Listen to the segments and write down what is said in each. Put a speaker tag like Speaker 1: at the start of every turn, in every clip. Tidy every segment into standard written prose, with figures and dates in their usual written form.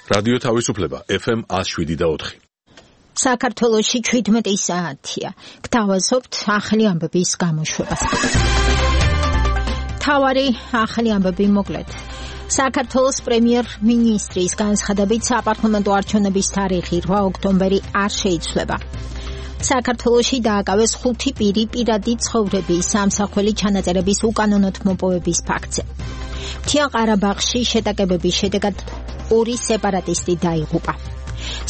Speaker 1: რადიო თავისუფლება FM 107.4.
Speaker 2: საქართველოში 17 საათია. გთავაზობთ ახალი ამბების გამოშვებას. თავარი ახალი ამბები მოკლედ. საქართველოს პრემიერ-მინისტრის განცხადებით საპარლამენტო არჩევნების თარიღი 8 ოქტომბერი არ შეიცვლება. საქართველოში დააკავეს 5 პირი პირადი ცხოვრების სამსახველი ჩანაწერების უკანონოდ მოპოვების ფაქტზე. მთიან ყარაბაღში შეტაკებების შედეგად 2 სეპარატისტი დაიღუპა.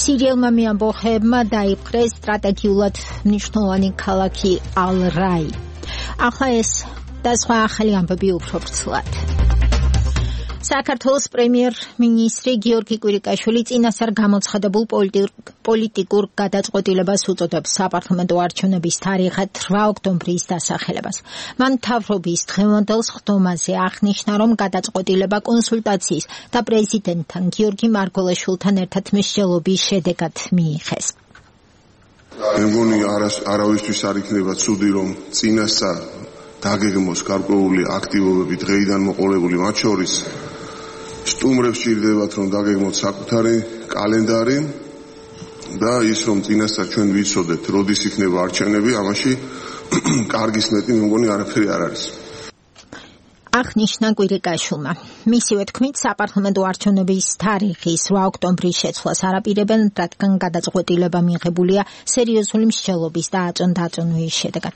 Speaker 2: სირიელმა მეამბოხეებმა დაიპყრეს სტრატეგიულად მნიშვნელოვანი ქალაქი ალ-რაი. ახლა ეს და სხვა ახალი ამბები უფრო ვრცლად. საქართველოს პრემიერ-მინისტრი გიორგი კვირიკაშვილი წინასწარ გამოცხადებულ პოლიტიკურ გადაწყვეტილებას უწოდებს საპარლამენტო არჩევნების თარიღად 8 ოქტომბრის დასახელებას. მან მთავრობის დღევანდელ სხდომაზე აღნიშნა, რომ გადაწყვეტილება კონსულტაციის და პრეზიდენტთან გიორგი მარგველაშვილთან ერთად მსჯელობის შედეგად მიიღეს.
Speaker 3: მე მგონი არავისთვის არ იქნება ცუდი, რომ წინასწარ დაგეგმოს გარკვეული აქტივობები დღეიდან მოყოლებული, მათ შორის სტუმრებს სჭირდებათ, რომ დაგეგმოთ საკუთარი კალენდარი და ის, რომ წინასწარ ჩვენ ვიცოდეთ, როდის იქნება არჩევნები, ამაში კარგის მეტი მე მგონი არაფერი არ არის.
Speaker 2: აღნიშნა კვირიკაშვილმა. მისივე თქმით, საპარლამენტო არჩევნების თარიღის 8 ოქტომბრის შეცვლას არაპირებენ, რადგან გადაწყვეტილება მიღებულია სერიოზული მსჯელობის და აწონ-დაწონვის შედეგად.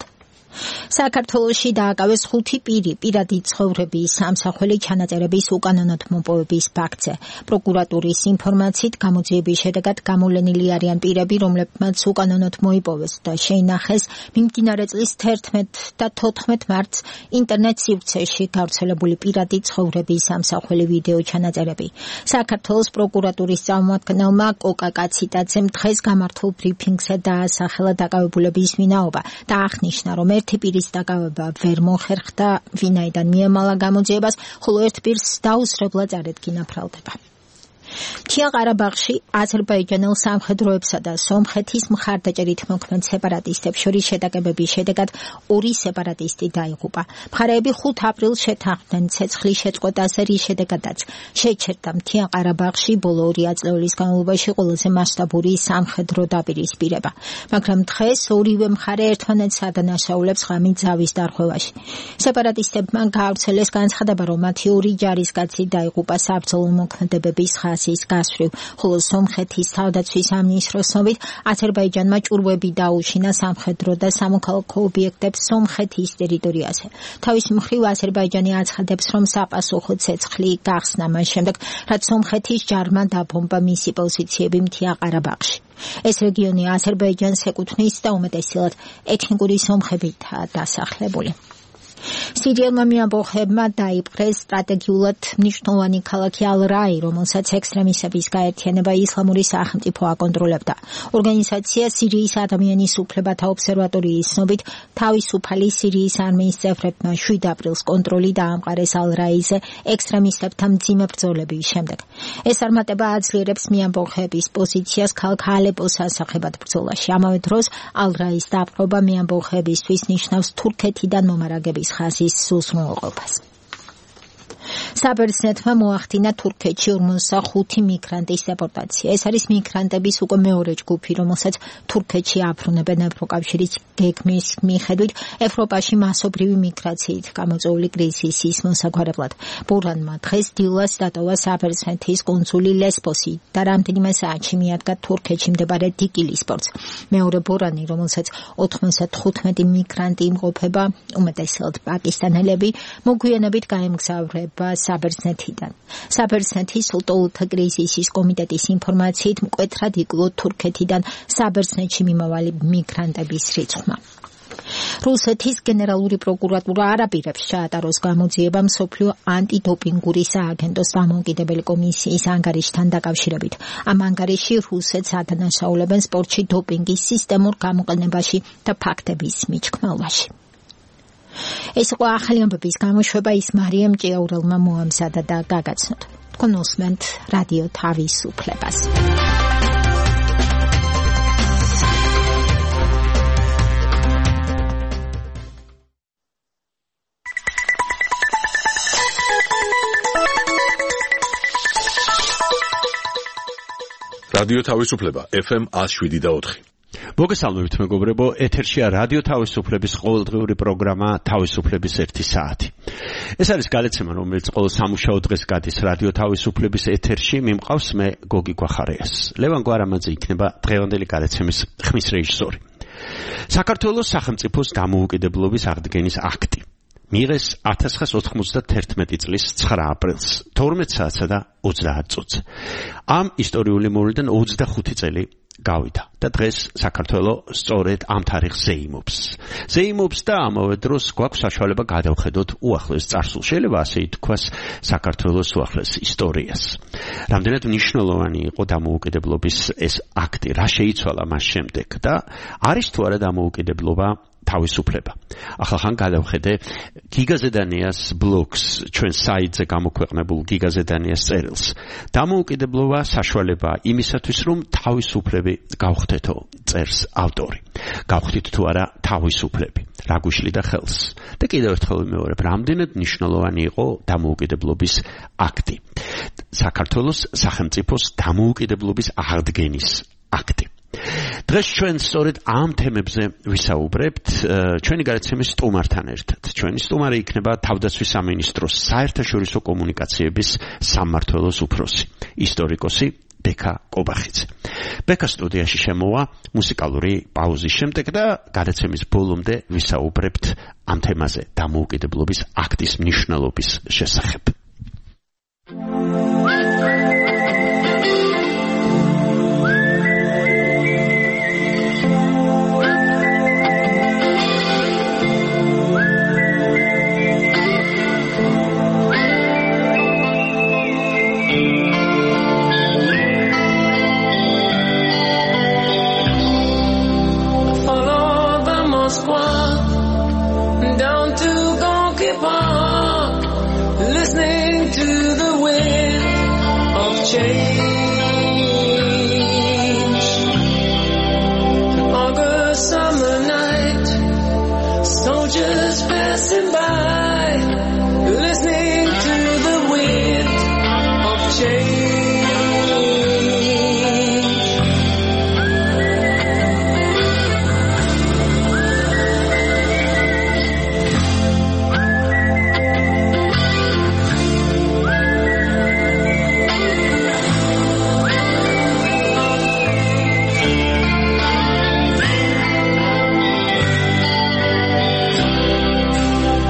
Speaker 2: საქართველოში დააკავეს 5 პირი პირადი ცხოვრების სამსახველი ჩანაწერების უკანონოდ მოპოვების ფაქტზე. პროკურატურის ინფორმაციით გამოძიების შედეგად გამოვლენილი არიან პირები, რომლებმაც უკანონოდ მოიპოვეს და შეინახეს მიმდინარე წლის 11 და 14 მარტს ინტერნეტ სივრცეში გავრცელებული პირადი ცხოვრების სამსახველი ვიდეო ჩანაწერები. საქართველოს პროკურატურის წარმომადგენელმა კოკა კაციტაძემ დღეს გამართულ ბრიფინგზე დაასახელა დაკავებულების ვინაობა და აღნიშნა, რომ ერთი პირის დაკავება ვერ მოხერხდა, ვინაიდან მიემალა გამოძიებას, ხოლო ერთ პირს დაუსრებლად წარედგინა ბრალდება. მთიან ყარაბაღში აზერბაიჯანელ სამხედროებსა და სომხეთის მხარდაჭერით მოქმედ სეპარატისტებს შორის შეტაკებების შედეგად 2 სეპარატისტი დაიღუპა. მხარეები 5 აპრილს შეთანხმდნენ ცეცხლის შეწყვეტაზე, რის შედეგადაც შეჩერდა მთიან ყარაბაღში ბოლო 2 აწლეულის განმავლობაში ყველაზე მასშტაბური სამხედრო დაპირისპირება. მაგრამ დღეს ორივე მხარე ერთმანეთს ადანაშაულებს ღამით ზავის დარღვევაში. სეპარატისტებმა გაავრცელეს განცხადება, რომ მათი 2 ჯარისკაცი დაიღუპა საბრძოლო მოქმედებების ხაზის გასწვრივ, ხოლო სომხეთის თავდაცვის სამინისტროს ცნობით აზერბაიჯანმა ჭურვები დაუშინა სამხედრო და სამოქალაქო ობიექტებს სომხეთის ტერიტორიაზე. თავის მხრივ აზერბაიჯანი აცხადებს, რომ საპასუხო ცეცხლი გახსნა მას შემდეგ, რაც სომხეთის ჯარმა დაბომბა მისი პოზიციები მთიან ყარაბაღში. ეს რეგიონი აზერბაიჯანს ეკუთვნის და უმეტესად ეთნიკური სომხებითაა დასახლებული. სირიელმა მეამბოხეებმა დაიპყრეს სტრატეგიულად მნიშვნელოვანი ქალაქი ალ-რაი, რომელსაც ექსტრემისტების გაერთიანება ისლამური სახელმწიფო აკონტროლებდა. ორგანიზაცია სირიის ადამიანის უფლებათა ობსერვატორიის ცნობით, თავისუფალი სირიის არმიის წევრებმა 7 აპრილს კონტროლი დაამყარეს ალ-რაიზე ექსტრემისტებთან მძიმე ბრძოლების შემდეგ. ეს არმატება აძლიერებს მეამბოხეების პოზიციას ქალაქ ალეპოს ასახებად ბრძოლაში. ამავე დროს ალ-რაის დაპყრობა მეამბოხეებისთვის ნიშნავს თურქეთიდან მომარაგების ხაზის სულსმოყოფას. საბერძნეთმა მოახდინა თურქეთში 45 მიგრანტის დეპორტაცია. ეს არის მიგრანტების უკვე მეორე ჯგუფი, რომელსაც თურქეთში აბრუნებენ ევროკავშირის გეგმის მიხედვით ევროპაში მასობრივი მიგრაციით გამოწვეული კრიზისის მოსაგვარებლად. ბურანმა დღეს დილას დატოვა საბერძნეთის კუნძული ლესბოსი და რამდენიმე საათში მიადგა თურქეთში მდებარე დიკილის პორტს. მეორე ბურანი, რომელსაც 95 მიგრანტი იმყოფება, უმეტესად პაკისტანელები, მოგვიანებით გაემგზავრება საბერძნეთიდან. საბერძნეთის ულტოლთა კრიზისის კომიტეტის ინფორმაციით მკვეთრად იკლო თურქეთიდან საბერძნეთში მიმავალი მიგრანტების რიცხვმა. რუსეთის გენერალური პროკურატურა არაპირებს ჩაატაროს გამოძიება მსოფლიო ანტიდოპინგური სააგენტოს დამოუკიდებელი კომისიის ანგარიშთან დაკავშირებით. ამ ანგარიში რუსეთს ადანაშაულებენ სპორტში დოპინგის სისტემურ გამოყენებაში და ფაქტების მიჩქმელვაში. ეს იყო ახალი ამბების გამოშვება, ის მარიამ ჭიაურელმა მოამზადა და გაგაცნოთ. თქვენ უსმენთ რადიო თავისუფლებას.
Speaker 1: რადიო თავისუფლება FM 107.4.
Speaker 4: მოგესალმებით მეგობრებო, ეთერშია რადიო თავისუფლების ყოველდღიური პროგრამა თავისუფლების 1 საათი. ეს არის გადაცემა, რომელიც ყოველ სამუშაო დღეს გადის რადიო თავისუფლების ეთერში. მიმყავს მე გოგი გვახარიას. ლევან გვარამაძე იქნება დღევანდელი გადაცემის ხმის რეჟისორი. საქართველოს სახელმწიფოს დამოუკიდებლობის აღდგენის აქტი მიიღეს 1991 წლის 9 აპრილს 12 საათსა და 30 წუთს. ამ ისტორიული მოვლენიდან 25 წელი გავიდა და დღეს საქართველოს სწორედ ამ თარიღს ზეიმობს და ამავე დროს გვაქვს საშუალება გადავხედოთ უახლეს წარსულს, შეიძლება ასე ითქვას, საქართველოს უახლეს ისტორიას. რამდენად მნიშვნელოვანი იყო დამოუკიდებლობის ეს აქტი, რა შეიცვალა მას შემდეგ და არის თუ არა დამოუკიდებლობა თავისუფლება. ახლა გადავხედე გიგაზედანიას ბლოგს, ჩვენ საიტზე გამოქვეყნებულ გიგაზედანიას წერილს. დამოუკიდებლობა საშუალება იმისათვის, რომ თავისუფლები გავხდეთო, წერს ავტორი. გავხდით თუ არა თავისუფლები, რა გვიშლიდა ხელს. და კიდევ ერთხელ ვიმეორებ, რამდენად მნიშვნელოვანი იყო დამოუკიდებლობის აქტი. საქართველოს სახელმწიფოს დამოუკიდებლობის აღდგენის აქტი. დღეს ჩვენ სწორედ ამ თემებზე ვისაუბრებთ ჩვენი გადაცემის სტუმართან ერთად. ჩვენი სტუმარი იქნება თავდაცვის სამინისტროს საერთაშორისო კომუნიკაციების სამმართველოს უფროსი, ისტორიკოსი ბექა კობახიძე. ბექა სტუდიაში შემოვა მუსიკალური პაუზის შემდეგ და გადაცემის ბოლომდე ვისაუბრებთ ამ თემაზე, დამოუკიდებლობის აქტის მნიშვნელობის შესახებ.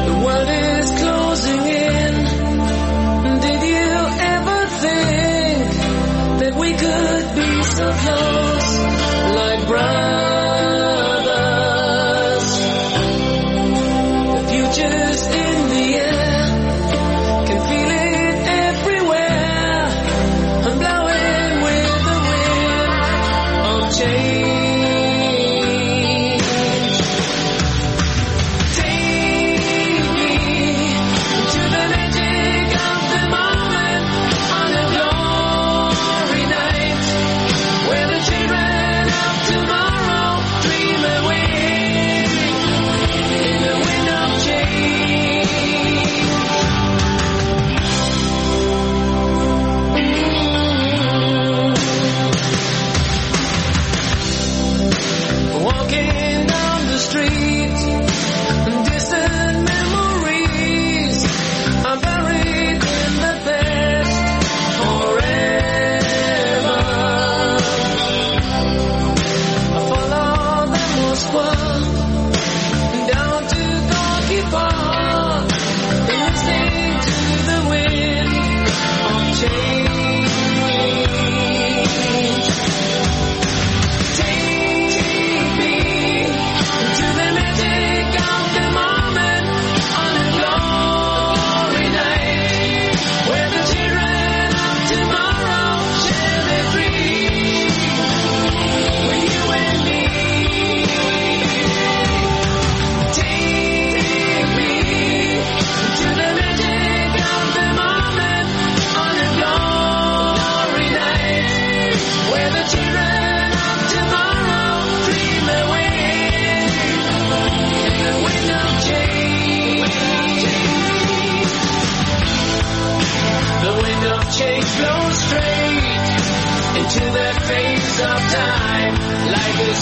Speaker 5: The world is closed.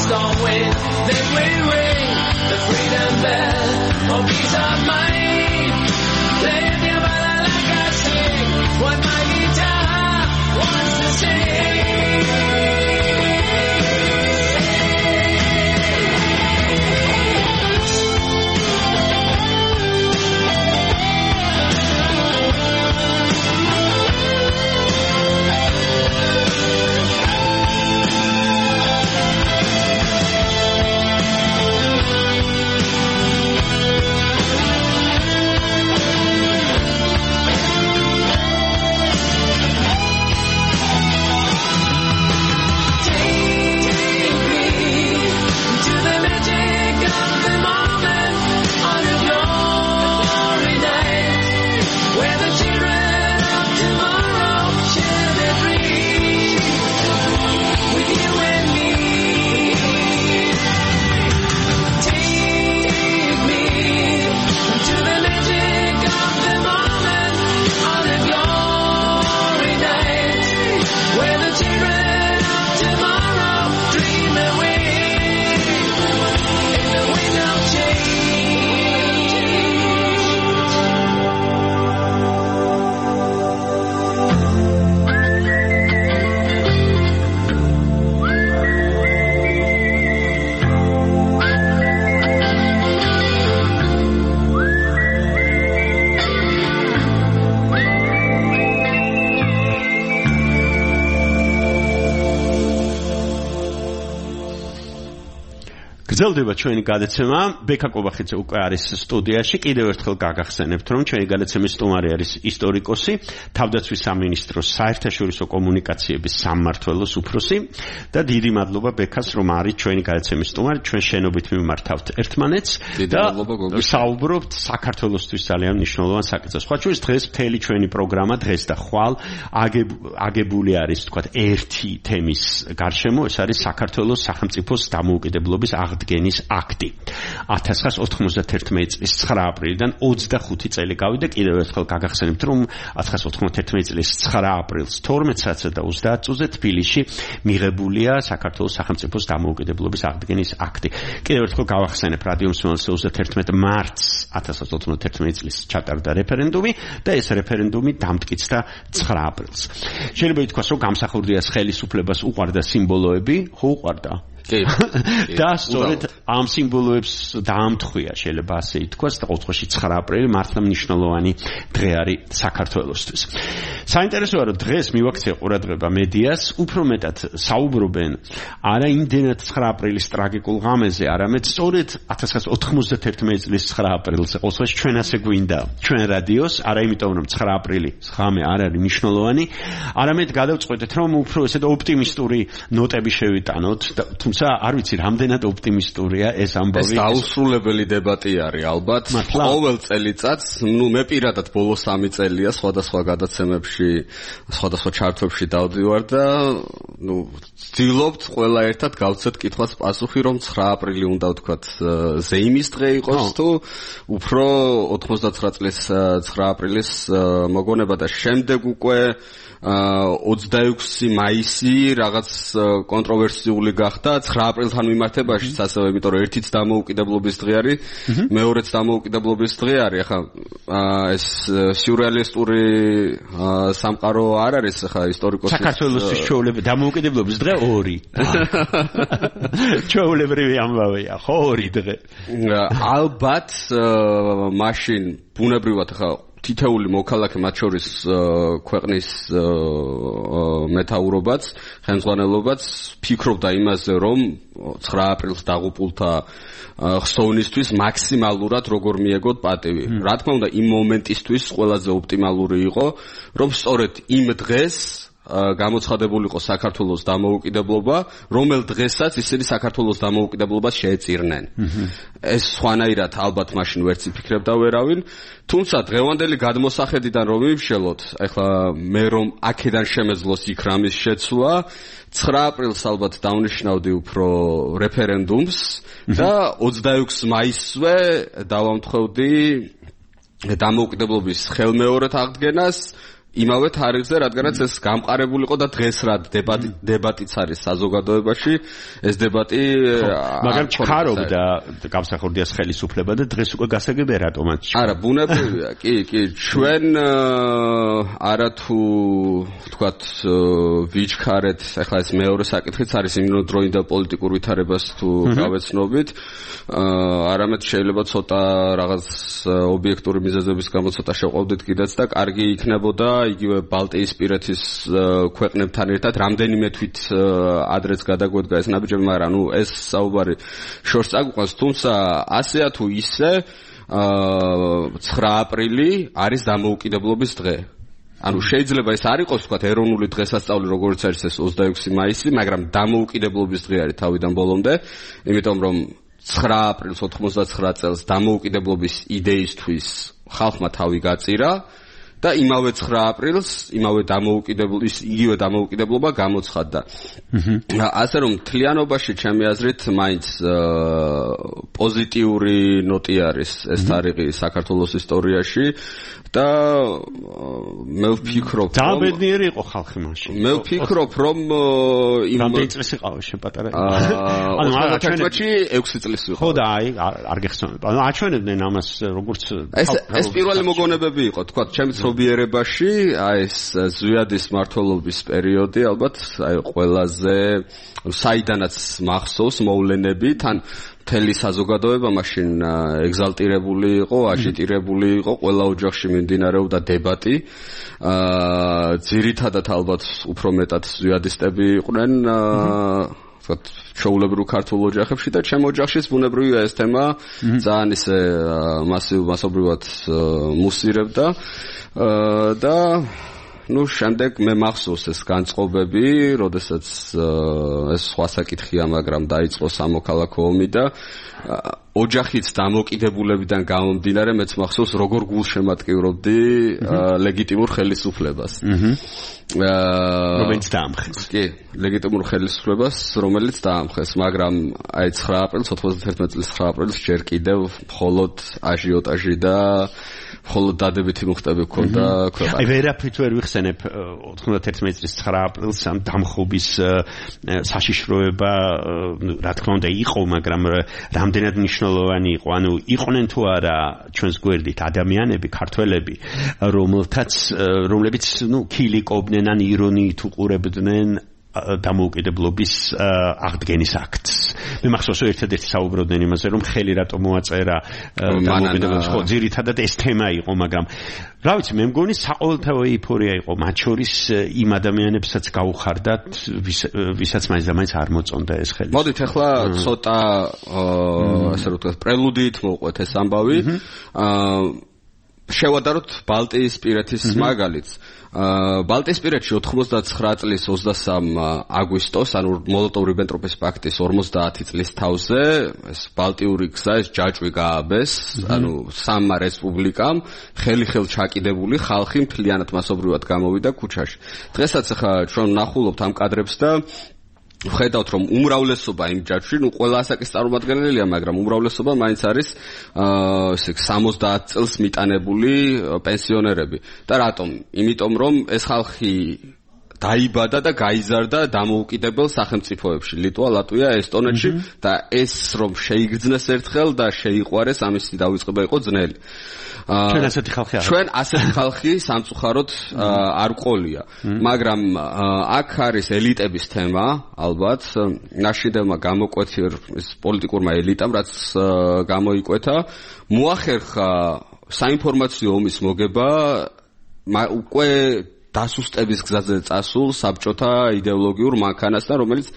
Speaker 5: don't win, then we ring the freedom bell for peace of mind. Play your ballad like I sing, what my guitar wants to sing.
Speaker 4: გრძელდება ჩვენი გადაცემა. ბექა კობახიძე უკვე არის სტუდიაში. კიდევ ერთხელ გაგახსენებთ, რომ ჩვენი გადაცემის სტუმარი არის ისტორიკოსი, თავდაცვის სამინისტროს საერთაშორისო კომუნიკაციების სამმართველოს უფროსი და დიდი მადლობა ბექას, რომ არის ჩვენი გადაცემის სტუმარი. ჩვენ შენობით მიმართავთ ერთმანეთს და საუბრობთ საქართველოსთვის ძალიან მნიშვნელოვან საკითხზე. სხვა შორის დღეს მთელი ჩვენი პროგრამა დღეს და ხვალ აგებული არის, თქვათ, ერთი თემის გარშემო, ეს არის საქართველოს სახელმწიფოს დამოუკიდებლობის აღდგენის აქტი. 1991 წლის 9 აპრილიდან 25 წელი გავიდა. კიდევ ერთხელ გაგახსენებთ, რომ 1991 წლის 9 აპრილს 12 საათსა და 30 წუთზე თბილისში მიღებულია საქართველოს სახელმწიფოს დამოუკიდებლობის აღდგენის აქტი. კიდევ ერთხელ გავახსენებ, რადიო მსმენელს 31 მარტს 1991 წლის ჩატარდა რეფერენდუმი და ეს რეფერენდუმი დამტკიცდა 9 აპრილს. შეიძლება ითქვას, რომ გამსახურდიას ხელისუფლებას უყვარდა სიმბოლოები, ხო უყვარდა? და სწორედ ამ სიმბოლოებს დაამთხვია, შეიძლება ასე ითქვას, და ყოველთვის 9 აპრილი მართლა მნიშვნელოვანი დღე არის საქართველოსთვის. საინტერესოა, რომ დღეს მივაქცია ყურადღება მედიას, უფრო მეტად საუბრობენ არა იმდენად 9 აპრილის ტრაგიკულ ღამეზე, არამედ სწორედ 1991 წლის 9 აპრილზე. ყოველთვის ჩვენ ასე გვინდა ჩვენ რადიოს, არა იმიტომ, რომ 9 აპრილი ღამე არ არის მნიშვნელოვანი, არამედ გადავწყვეტეთ, რომ უფრო ესეთ ოპტიმისტური ნოტები შევიტანოთ, არ ვიცი, რამდენად ოპტიმისტურია ეს ამბავი.
Speaker 6: ეს დაუსრულებელი დებატი არის ალბათ. ყოველ წელიწადს, მე პირადად ბოლო 3 წელია სხვადასხვა გადაცემებში, სხვადასხვა ჩარტებში დავდივარ და ვცდილობთ ყველა ერთად გავცეთ კითხვას პასუხი, რომ 9 აპრილი უნდა ვთქვათ ზეიმის დღე იყოს თუ უფრო 99 წლის 9 აპრილის მოგონება და შემდეგ უკვე 26 მაისი რაღაც კონტროვერსიული გახდა 9 აპრილთან მიმართებაშიც ასევე, იმიტომ რომ ერთიც დამოუკიდებლობის დღე არის, მეორეც დამოუკიდებლობის დღე არის. ახლა ეს სიურეალისტური სამყარო არ არის, ახლა ისტორიკოსის
Speaker 4: საქართველოსთვის ჩვეულებრივი დამოუკიდებლობის დღე 2. ჩვეულებრივი ამბავია, ხო 2 დღე.
Speaker 6: ალბათ მაშინ ბუნებრივად ახლა თითეული მოქალაქე, მათ შორის ქვეყნის მეთაურობაც, ხელმძღვანელობაც ფიქრობდა იმაზე, რომ 9 აპრილს დაღუპულთა ხსოვნისთვის მაქსიმალურად როგორ მიეგოთ პატივი. რა თქმა უნდა, იმ მომენტისთვის ყველაზე ოპტიმალური იყო, რომ სწორედ იმ დღეს გამოცხადებულიყო საქართველოს დამოუკიდებლობა, რომელ დღესაც ისინი საქართველოს დამოუკიდებლობას შეეწირნენ. ეს სხვანაირად ალბათ მაშინ ვერც იფიქრებდა ვერავინ, თუმცა დღევანდელი გადმოსახედიდან რომ ვიმშელოთ, ეხლა მე რომ აქედან შემეძლოს იქ რამის შეცვლა, 9 აპრილს ალბათ დავნიშნავდი უფრო რეფერენდუმს და 26 მაისზე დავამთხოვდი დამოუკიდებლობის ხელმეორედ აღდგენას. იმავე თარიღზე, რადგანაც ეს გამყარებული იყო და დღეს რა დებატიც არის საზოგადოებაში, ეს დებატი
Speaker 4: მაგრამ ჩქარობდა გამსახურდიას ხელისუფლება და დღეს უკვე გასაგებია რატომაც.
Speaker 6: არა, ბუნებრივია, კი, ჩვენ არათუ ვთქვათ ვიჩქარეთ, ახლა ეს მეორე საკითხიც არის იმდროინდელ პოლიტიკურ ვითარებას თუ გავეცნობით, არამედ შეიძლება ცოტა რაღაც ობიექტური მიზეზების გამო ცოტა შეყვავდით კიდეც და კარგი იქნებოდა იგივე ბალტიისპირეთის ქვეყნებთან ერთად რამდენიმე თვით ადრეც გადაგვედგა ეს ნაბიჯები, მაგრამ ეს საუბარი შორს წაგვიყვანს, თუმცა ასეა თუ ისე 9 აპრილი არის დამოუკიდებლობის დღე. ანუ შეიძლება ეს არ იყოს ვთქვათ ეროვნული დღესასწაული როგორც არის ეს 26 მაისი, მაგრამ დამოუკიდებლობის დღე არის თავიდან ბოლომდე, იმიტომ რომ 9 აპრილს 99 წელს დამოუკიდებლობის იდეისთვის ხალხმა თავი გაწირა და იმავე 9 აპრილს იგივე დამოუკიდებლობა გამოცხადდა. ასე რომ მთლიანობაში ჩემი აზრით მაინც პოზიტიური ნოტი არის ეს თარიღი საქართველოს ისტორიაში და მე ვფიქრობ რომ
Speaker 4: ძალიან ბედნიერი იყო ხალხი მაშინ.
Speaker 6: მე ვფიქრობ რომ იმ
Speaker 4: რამდენი წლის იყავა შენ პატარა?
Speaker 6: ანუ 6 წლის იყო.
Speaker 4: ხო და აი არ გეხსოვნება. ანუ აჩვენებდნენ ამას როგორც
Speaker 6: ეს პირველი მოგონებები იყო, თქვათ, ჩემი ცნობიერებაში, აი ეს ზვიადის მმართველობის პერიოდი ალბათ აი ყველაზე საიდანაც მახსოვს მოვლენები, თან მთელი საზოგადოება მაშინ ეგზალტირებული იყო, აჟიტირებული იყო, ყველა ოჯახში მიმდინარეობდა დებატი. ძირითადად ალბათ უფრო მეტად ზვიადისტები იყვნენ, ვთქვათ, ჩვეულებრივ ქართულ ოჯახებში და ჩემ ოჯახშიც ბუნებრივია ეს თემა ძალიან ისე მასობრივად მუსირებდა და შემდეგ მე მახსოვს ეს განწყობები, როდესაც ეს სხვა საკითხია, მაგრამ დაიწყო სამოქალაქო ომი და ოჯახიც დამოკიდებულებიდან გამომდინარე მეც მახსოვს როგორ გულშემატკივრობდი ლეგიტიმურ ხელისუფლებას.
Speaker 4: რომელიც დაამხეს.
Speaker 6: კი, ლეგიტიმურ ხელისუფლებას, რომელიც დაამხეს, მაგრამ აი 9 აპრილს 91 წლის 9 აპრილს ჯერ კიდევ მხოლოდ აჟიოტაჟი და მხოლოდ დადებითი მუხტები ჰქონდა ქვეყანაში.
Speaker 4: აი ვერაფრით ვერ ვიხსენებ 91 წლის 9 აპრილს ამ დამხობის საშიშროება, რა თქმა უნდა იყო, მაგრამ რამდენად მნიშვნელოვანი იყო, ანუ იყვნენ თუ არა ჩვენს გვერდით ადამიანები, ქართველები, რომლებიც ქილიკობდნენ ან ირონიით უყურებდნენ დამოუკიდებლობის აღდგენის აქტს. მე მახსოვს ერთადერთი საუბრობდნენ იმაზე, რომ ხელი რატომ მოაწერა დამოუკიდებლობის, ხო, ძირითადად ეს თემა იყო, მაგრამ რა ვიცი, მე მგონი საყოველთაო ეიფორია იყო მათ შორის იმ ადამიანებსაც გაუხარდათ, ვისაც მაინც და მაინც არ მოწონდა ეს ხელი.
Speaker 6: მოდით ახლა ცოტა ასე რომ ვთქვათ, პრელუდიით მოვყვეთ ეს ამბავი. შევადაროთ ბალტიისპირეთის მაგალითს. ბალტიისპირეთში 99 წლის 23 აგვისტოს, ანუ მოლოტოვ-რიბენტროპის პაქტის 50 წლის თავზე, ეს ბალტიური გზა, ეს ჯაჭვი გააბეს, ანუ სამმა რესპუბლიკამ ხელი-ხელ ჩაკიდებული ხალხი მთლიანად მასობრივად გამოვიდა ქუჩაში. დღესაც ახლა ჩვენ ვნახულობთ ამ კადრებს და ვხედავთ რომ უმრავლესობა იმ ჯაჭვში, ყველა ასაკის წარმომადგენელია, მაგრამ უმრავლესობა მაინც არის 70 წელს მიტანებული პენსიონერები. და რატომ? იმიტომ რომ ეს ხალხი დაიბადა და გაიზარდა დამოუკიდებელ სახელმწიფოებში, ლიტვა, ლატვია, ესტონეთში და ეს რომ შეიგრძნეს ერთხელ და შეიყვარეს, ამისი დავიწყება იყო ძნელი.
Speaker 4: ჩვენ ასეთი ხალხი არა.
Speaker 6: ჩვენ ასეთი ხალხი სამწუხაროდ არ ყოლია, მაგრამ აქ არის ელიტების თემა, ალბათ, ნაშიდევმა გამოკვეთილ ეს პოლიტიკურმა ელიტამ, რაც გამოიკვეთა, მოახერხა საინფორმაციო ომის მოგება უკვე დასუსტების გზაზე წასულ საბჭოთა იდეოლოგიურ მანქანასთან, რომელიც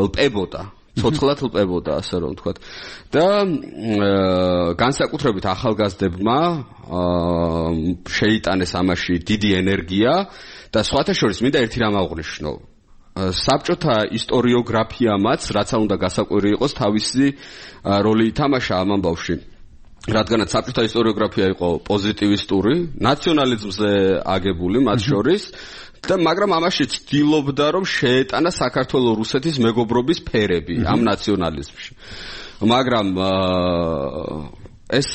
Speaker 6: ლპებოდა, ცოცხლად ლპებოდა, ასე რომ ვთქვათ. და განსაკუთრებით ახალგაზრდებმა შეიტანეს ამაში დიდი ენერგია და სხვათა შორის მინდა ერთი რამ აღვნიშნო. საბჭოთა ისტორიოგრაფიამაც, რაც უნდა გასაკვირი იყოს, თავისი როლი ითამაშა ამ ამბავში. რადგანაც საბჭოთა ისტორიოგრაფია იყო პოზიტივისტური, ნაციონალიზმზე აგებული მათ შორის და მაგრამ ამაში ცდილობდა რომ შეეტანა საქართველო-რუსეთის მეგობრობის ფერები ამ ნაციონალიზმში. მაგრამ ეს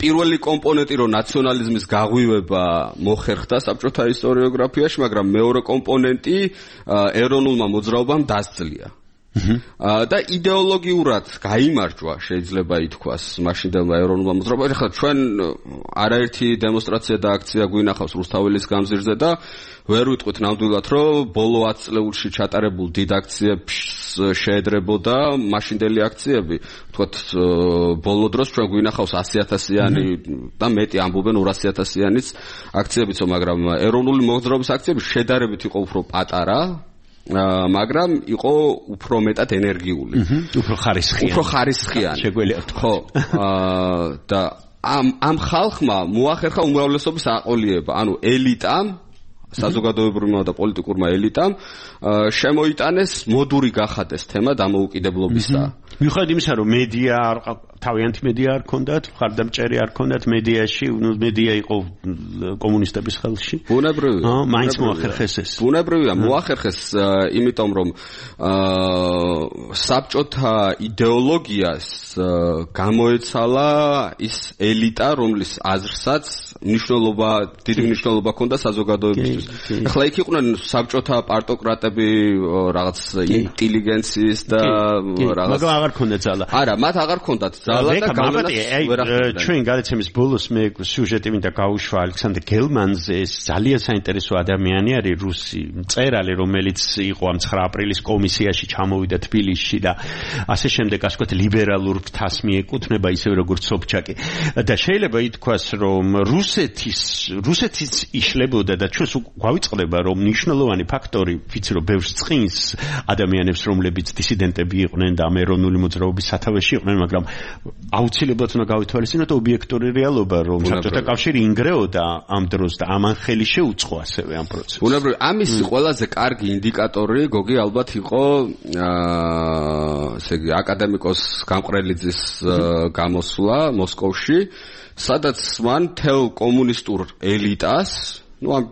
Speaker 6: პირველი კომპონენტი რომ ნაციონალიზმის გაღვივება მოხერხდა საბჭოთა ისტორიოგრაფიაში, მაგრამ მეორე კომპონენტი ეროვნულმა მოძრაობამ დასძლია. და იდეოლოგიურად გაიმარჯვა შეიძლება ითქვას მაშინდელმა ეროვნულმა მოძრაობამ. ახლა ჩვენ არაერთი დემონსტრაცია და აქცია გვინახავს რუსთაველის გამზირზე და ვერ ვიტყვით ნამდვილად რომ ბოლო 10 წლებში ჩატარებულ დიდ აქციებს შეედრებოდა მაშინდელი აქციები. ვთქვათ ბოლო დროს ჩვენ გვინახავს 100,000-იანი და მეტი ამბობენ 200,000-იანიც აქციებიც, მაგრამ ეროვნული მოძრაობის აქციები შედარებით იყო უფრო პატარა, მაგრამ იყო უფრო მეტად ენერგიული.
Speaker 4: უფრო ხარისხიანი. შეგვიძლია ვთქვა.
Speaker 6: ხო. და ამ ხალხმა მოახერხა უმრავლესობის აყოლიება, ანუ ელიტამ, საზოგადოებრივმა და პოლიტიკურმა ელიტამ შემოიტანეს მოდური გახადეს თემა დამოუკიდებლობისა.
Speaker 4: მიუხედავად იმისა, რომ მედია თავიანთი მედია არ ქონდათ, მხარდამჭერი არ ქონდათ მედიაში, მედია იყო კომუნისტების ხელში.
Speaker 6: ბუნებრივია.
Speaker 4: მაინც მოახერხეს ეს.
Speaker 6: ბუნებრივია, მოახერხეს, იმიტომ რომ საბჭოთა იდეოლოგიას გამოეცალა ის ელიტა, რომლის აზრსაც დიდი მნიშვნელობა ჰქონდა საზოგადოებისთვის. ახლა იქ იყვნენ საბჭოთა პარტოკრატები, რაღაც ინტელიგენციის და რაღაც
Speaker 4: აღარ ქონდათ ძალა.
Speaker 6: არა, მათ აღარ ქონდათ ძალა და
Speaker 4: გავლენას ჩვენ გადაცემის ბოლოს მე სიუჟეტი მინდა გავუშვა ალექსანდრ გელმანზე. ეს ძალიან საინტერესო ადამიანი არის, რუსი მწერალი, რომელიც იყო ამ 9 აპრილის კომისიაში ჩამოვიდა თბილისში და ასე შემდეგ, ასე ვთქვათ, ლიბერალურ ფრთას მიეკუთვნება ისევე როგორც სობჩაკი. და შეიძლება ითქვას, რომ რუსეთის იშლებოდა და ჩვენს გვავიწყდება, რომ მნიშვნელოვანი ფაქტორი, ვიცი რომ ბევრს წინს ადამიანებს, რომლებიც დისიდენტები იყვნენ და ამ ეროვნული მოძრაობის სათავეში იყვნენ, მაგრამ აუცილებლად უნდა გავითვალისწინოთ ობიექტური რეალობა, რომ საბჭოთა კავშირი ინგრეოდა ამ დროს და ამან ხელი შეუწყო ასევე ამ პროცესს.
Speaker 6: ბუნებრივია, ამის ყველაზე კარგი ინდიკატორი გოგი ალბათ იყო ესე იგი აკადემიკოს გამყრელიძის გამოსვლა მოსკოვში, სადაც მან თელ კომუნისტურ ელიტას, ამ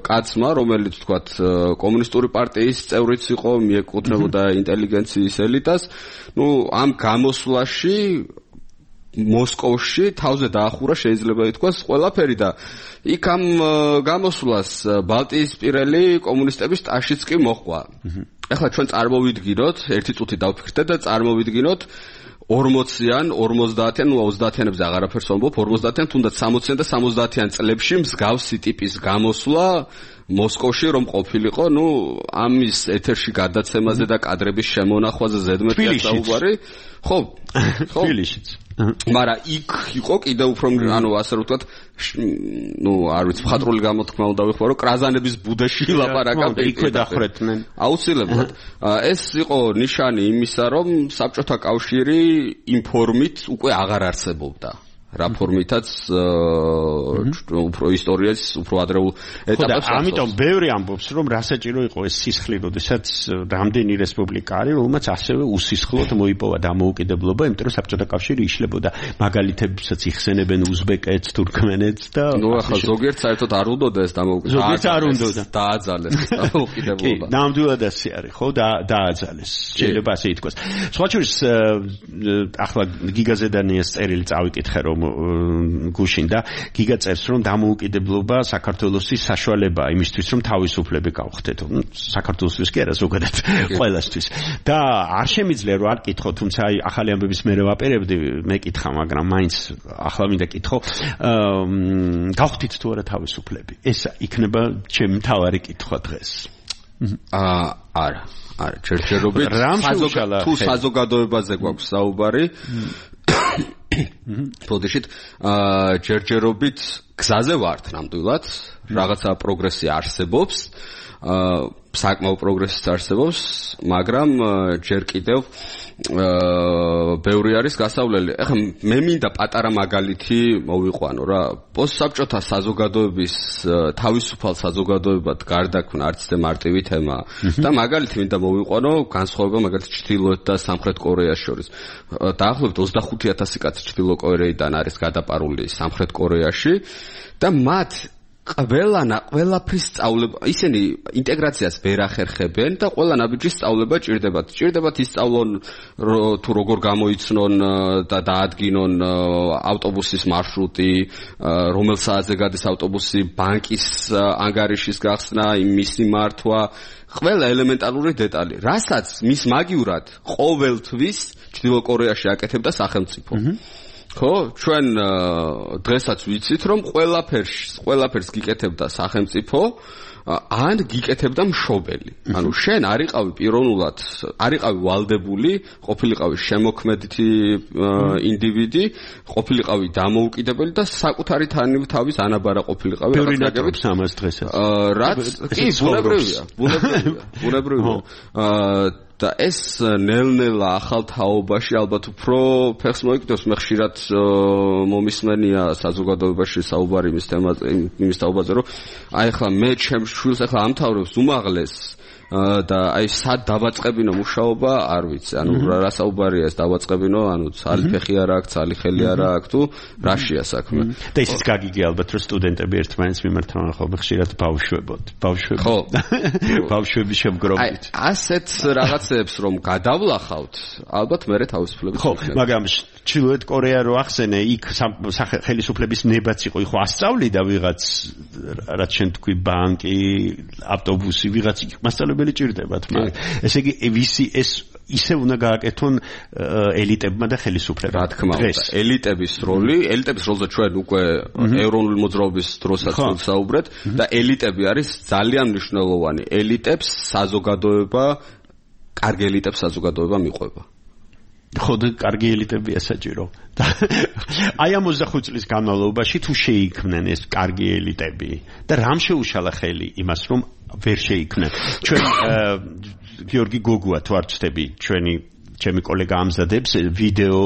Speaker 6: კაცმა, რომელიც თქვათ კომუნისტური პარტიის წევრიც იყო, მიეკუთვნებოდა ინტელიგენციის ელიტას, ამ გამოსვლაში მოსკოვში თავზე დაახურა შეიძლება ითქვას ყველაფერი და იქ ამ გამოსვლას ბალტიისპირელი კომუნისტების ტაშიც კი მოჰყვა. ახლა ჩვენ წარმოვიდგინოთ, ერთი წუთი დავფიქრდეთ და წარმოვიდგინოთ 40-იან, 50-იან, 30-იანებზე აღარაფერს ვამბობ, 50-იან, თუნდაც 60-იან და 70-იან წლებში მსგავსი ტიპის გამოსვლა მოსკოვში რომ ყოფილიყო, ამის ეთერში გადაცემაზე და კადრების შემონახვაზე ზედმეტია საუბარი. ხო,
Speaker 4: თბილისშიც.
Speaker 6: მაგრამ იქ იყო კიდევ უფრო, ასე რომ ვთქვათ, არ ვიცი, მხატვრული გამოთქმა უნდა ვიხმარო, რომ კრაზანების ბუდეში ლაპარაკა
Speaker 4: იქვე დახრეთმენ.
Speaker 6: აუცილებლად. ეს იყო ნიშანი იმისა, რომ საბჭოთა კავშირი იმ ფორმით უკვე აღარ არსებობდა. რა ფორმითაც უფრო ისტორიის უფრო ადრეულ ეტაპებს.
Speaker 4: ამიტომ ბევრი ამბობს, რომ რა საჭირო იყო ეს სისხლი, როდესაც რამდენი რესპუბლიკა არის, რომელმაც ასევე უსისხლოდ მოიპოვა დამოუკიდებლობა, იმიტომ რომ საბჭოთა კავშირი იშლებოდა. მაგალითებსაც იხსენებენ უზბეკეთს, თურქმენეთს და
Speaker 6: ახლა ზოგიერთ საერთოდ არ უნდოდა ეს დამოუკიდებლობა.
Speaker 4: ზოგიერთ არ უნდოდა.
Speaker 6: დააძალეს დამოუკიდებლობა.
Speaker 4: ნამდვილად ასე არის, ხო, დააძალეს. შეიძლება ასე ითქვას. სხვა შორის ახლა გიგაზე დანიას წერილი წავიკითხე, რომ გუშინ და გიგა წერს, რომ დამოუკიდებლობა საქართველოსის საშუალებაა იმისთვის, რომ თავისუფლები გავხდეთ. საქართველოსთვის კი არა, ზოგადად ყველასთვის. და არ შემიძლია რომ არ კითხო, თუმცა ახალი ამბების მე ვაპირებდი, მეკითხა, მაგრამ მაინც ახლა მინდა კითხო, გავხდით თუ არა თავისუფლები? ეს იქნება ჩემი მთავარი კითხვა დღეს.
Speaker 6: არა, ჯერჯერობით თუ საზოგადოებაზე გვაქვს საუბარი, პროდეშით ჯერჯერობით გზაზე ვართ ნამდვილად, რაღაცა პროგრესი არსებობს, საკმაო პროგრესიც არსებობს, მაგრამ ჯერ კიდევ ბევრი არის გასავლელი. ახლა მე მინდა პატარა მაგალითი მოვიყვანო რა. პოსტსაბჭოთა საზოგადოების თავისუფალ საზოგადოებად გარდაქმნა არც და მარტივი თემა და მაგალითი მინდა მოვიყვანო განსხვავება მაგალითად ჩრდილოეთ და სამხრეთ კორეას შორის. დაახლოებით 25,000 კაცი ჩრდილო კორეიდან არის გადაპარული სამხრეთ კორეაში და მათ ყველაფრის სწავლება, ისინი ინტეგრაციას ვერ ახერხებენ და ყველა ნაბიჯის სწავლება ჭირდებათ. ჭირდებათ ისწავლონ თუ როგორ გამოიცნონ და დაადგინონ ავტობუსის მარშრუტი, რომელ საათზე გადის ავტობუსი, ბანკის ანგარიშის გახსნა, მისი მართვა, ყველა ელემენტარული დეტალი, რასაც მის მაგივრად ყოველთვის ჩრდილო კორეაში აკეთებდა სახელმწიფო. ხო, ჩვენ დღესაც ვიცით, რომ ყველაფერს გიკეთებდა სახელმწიფო, ან გიკეთებდა მშობელი. ანუ შენ არიყავი პიროვნულად, არიყავი ვალდებული, ყოფილიყავი შემოქმედი ინდივიდი, ყოფილიყავი დამოუკიდებელი და საკუთარი თავის ანაბარა ყოფილიყავი.
Speaker 4: ბევრი ნაკრებს ამას დღესაც.
Speaker 6: რაც კი ბუნებრივია. და ეს ნელ-ნელა ახალ თაობაში ალბათ უფრო ფეხს მოიკიდოს. მე ხშირად მომისმენია საზოგადოებაში საუბარი იმის თაობაზე, რომ აი ახლა მე ჩემს შვილს ახლა ამთავრებს უმაღლეს და აი სად დავაწყებინო მუშაობა, არ ვიცი. ანუ რა საუბარია ეს დავაწყებინო, ანუ ცალი ფეხი არ აქვს, ცალი ხელი არ აქვს თუ რაშია საქმე.
Speaker 4: და ისიც გაგიგე ალბათ რომ სტუდენტები ერთმანეთს მიმართავენ ხოლმე ხშირად ბავშვებოდ. ხო. ბავშვების შემგროვით.
Speaker 6: აი ასეთ რაღაცებს რომ გადავლახავთ, ალბათ მერე თავისუფლებით.
Speaker 4: ხო, მაგრამ ჩრდილოეთ კორეა რო ახსენე, იქ ხელისუფლების ნებაც იყო, ხო ასწავლიდა ვიღაც, რაც შენ თქვი, ბანკი, ავტობუსი, ვიღაც იქ მასწავლებელი ჭირდებათ, მაგრამ ესე იგი ვისი ეს ისე უნდა გააკეთონ ელიტებმა და ხელისუფლებამ.
Speaker 6: რა თქმა უნდა, ელიტების როლზე ჩვენ უკვე ეროვნული მოძრაობის დროსაც ვსაუბრეთ და ელიტები არის ძალიან მნიშვნელოვანი. ელიტებს საზოგადოება, კარგი ელიტებს საზოგადოება მიყვება.
Speaker 4: ხო, კარგი ელიტებია საჭირო. აი ამ 25 წლის განმავლობაში თუ შეიქმნენ ეს კარგი ელიტები და რამ შეუშალა ხელი იმას, რომ ვერ შეიქმნენ. ჩვენ გიორგი გოგუა თუ არ ვწდები, ჩემი კოლეგა ამზადებს ვიდეო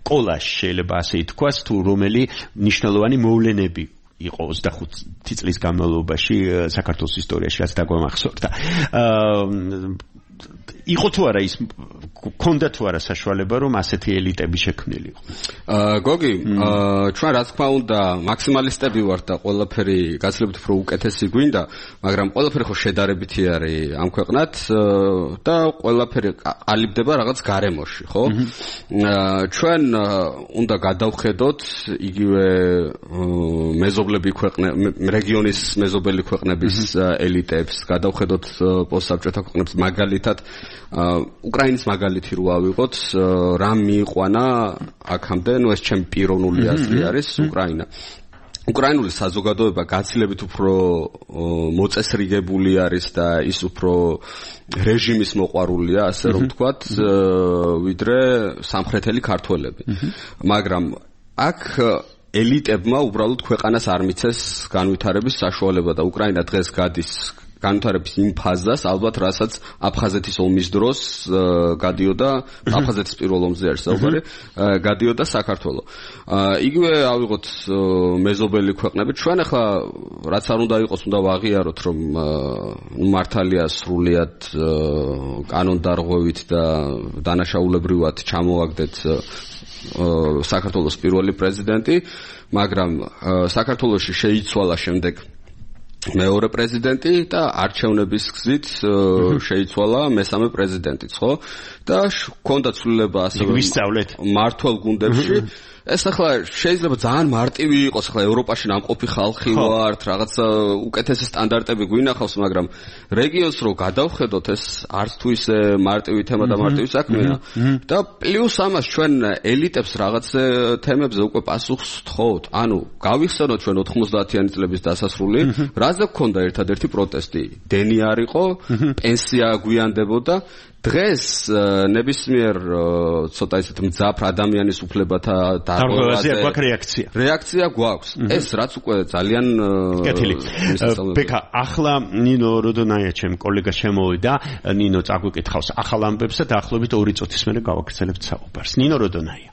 Speaker 4: კოლაჟს, შეიძლება ასე ითქვას, თუ რომელი მნიშვნელოვანი მოვლენები იყო 25 წლის განმავლობაში საქართველოს ისტორიაში, რაც დაგვამახსოვრდა. იყო თუ არა ის ქონდა თუ არა საშუალება რომ ასეთი ელიტები შექმნილიყო.
Speaker 6: გოგი, ჩვენ რა თქმა უნდა მაქსიმალისტები ვართ და ყველაფერი გაცილებით უფრო უკეთესი გვინდა, მაგრამ ყველაფერი ხო შედარებითი არის ამ ქვეყნად და ყველაფერი ყალიბდება რაღაც გარემოში, ხო? ჩვენ უნდა გადავხედოთ იგივე მეზობლები რეგიონის მეზობელი ქვეყნების ელიტებს, გადავხედოთ პოსტსაბჭოთა ქვეყნებს მაგალითად უკრაინის მაგალითი რო ავიღოთ, რამ მიიყვანა აქამდე, ეს ჩემი პიროვნული აზრი არის, უკრაინა. უკრაინული საზოგადოება გაცილებით უფრო მოწესრიგებული არის და ის უფრო რეჟიმის მოყვარულია, ასე რომ ვთქვათ, ვიდრე სამხრეთელი ქართველები. მაგრამ აქ ელიტებმა უბრალოდ ქვეყანას არ მიცეს განვითარების საშუალება და უკრაინა დღეს გადის განვითარების იმ ფაზას, ალბათ რასაც აფხაზეთის ომის დროს გადიოდა, აფხაზეთის პირველ ომზე არის საუბარი, გადიოდა საქართველო. იგივე ავიღოთ მეზობელი ქვეყნები, ჩვენ ახლა რაც არ უნდა იყოს, უნდა ვაღიაროთ, რომ მართალია სრულიად კანონდარღვევით და დანაშაულებრივად ჩამოვაგდეთ საქართველოს პირველი პრეზიდენტი, მაგრამ საქართველოში შეიცვალა შემდეგ მეორე პრეზიდენტი და არჩევნების გზით შეიცვალა მესამე პრეზიდენტიც, ხო? და ჰქონდა ცვლილება ასე მართვალ გუნდებში. ეს ახლა შეიძლება ძალიან მარტივი იყოს, ახლა ევროპაში ნამყოფი ხალხი ვართ, რაღაც უკეთესი სტანდარტები გვინახავს, მაგრამ რეგიონს რო გადავხედოთ, ეს არც თუ ისე მარტივი თემა და მარტივი საქმეა. და პლუს ამას ჩვენ ელიტებს რაღაც თემებზე უკვე პასუხს ვთხოვთ. ანუ გავიხსენოთ ჩვენ 90-იანი წლების დასასრული, რაზე გქონდა ერთადერთი პროტესტი? დენი არ იყო, პენსია გვიანდებოდა. დღეს ნებისმიერ ცოტა ისეთ მძაფრ ადამიანის უფლებათა დარღვევაზე რეაქცია გვაქვს. ეს რაც უკვე ძალიან
Speaker 4: კეთილი. ბექა, ახლა ნინო როდონაია ჩემ კოლეგა შემოვიდა, ნინო წაგვიკითხავს ახალ ამბებს და დაახლოებით 2 წუთის მერე გავაგრძელებთ საუბარს. ნინო როდონაია.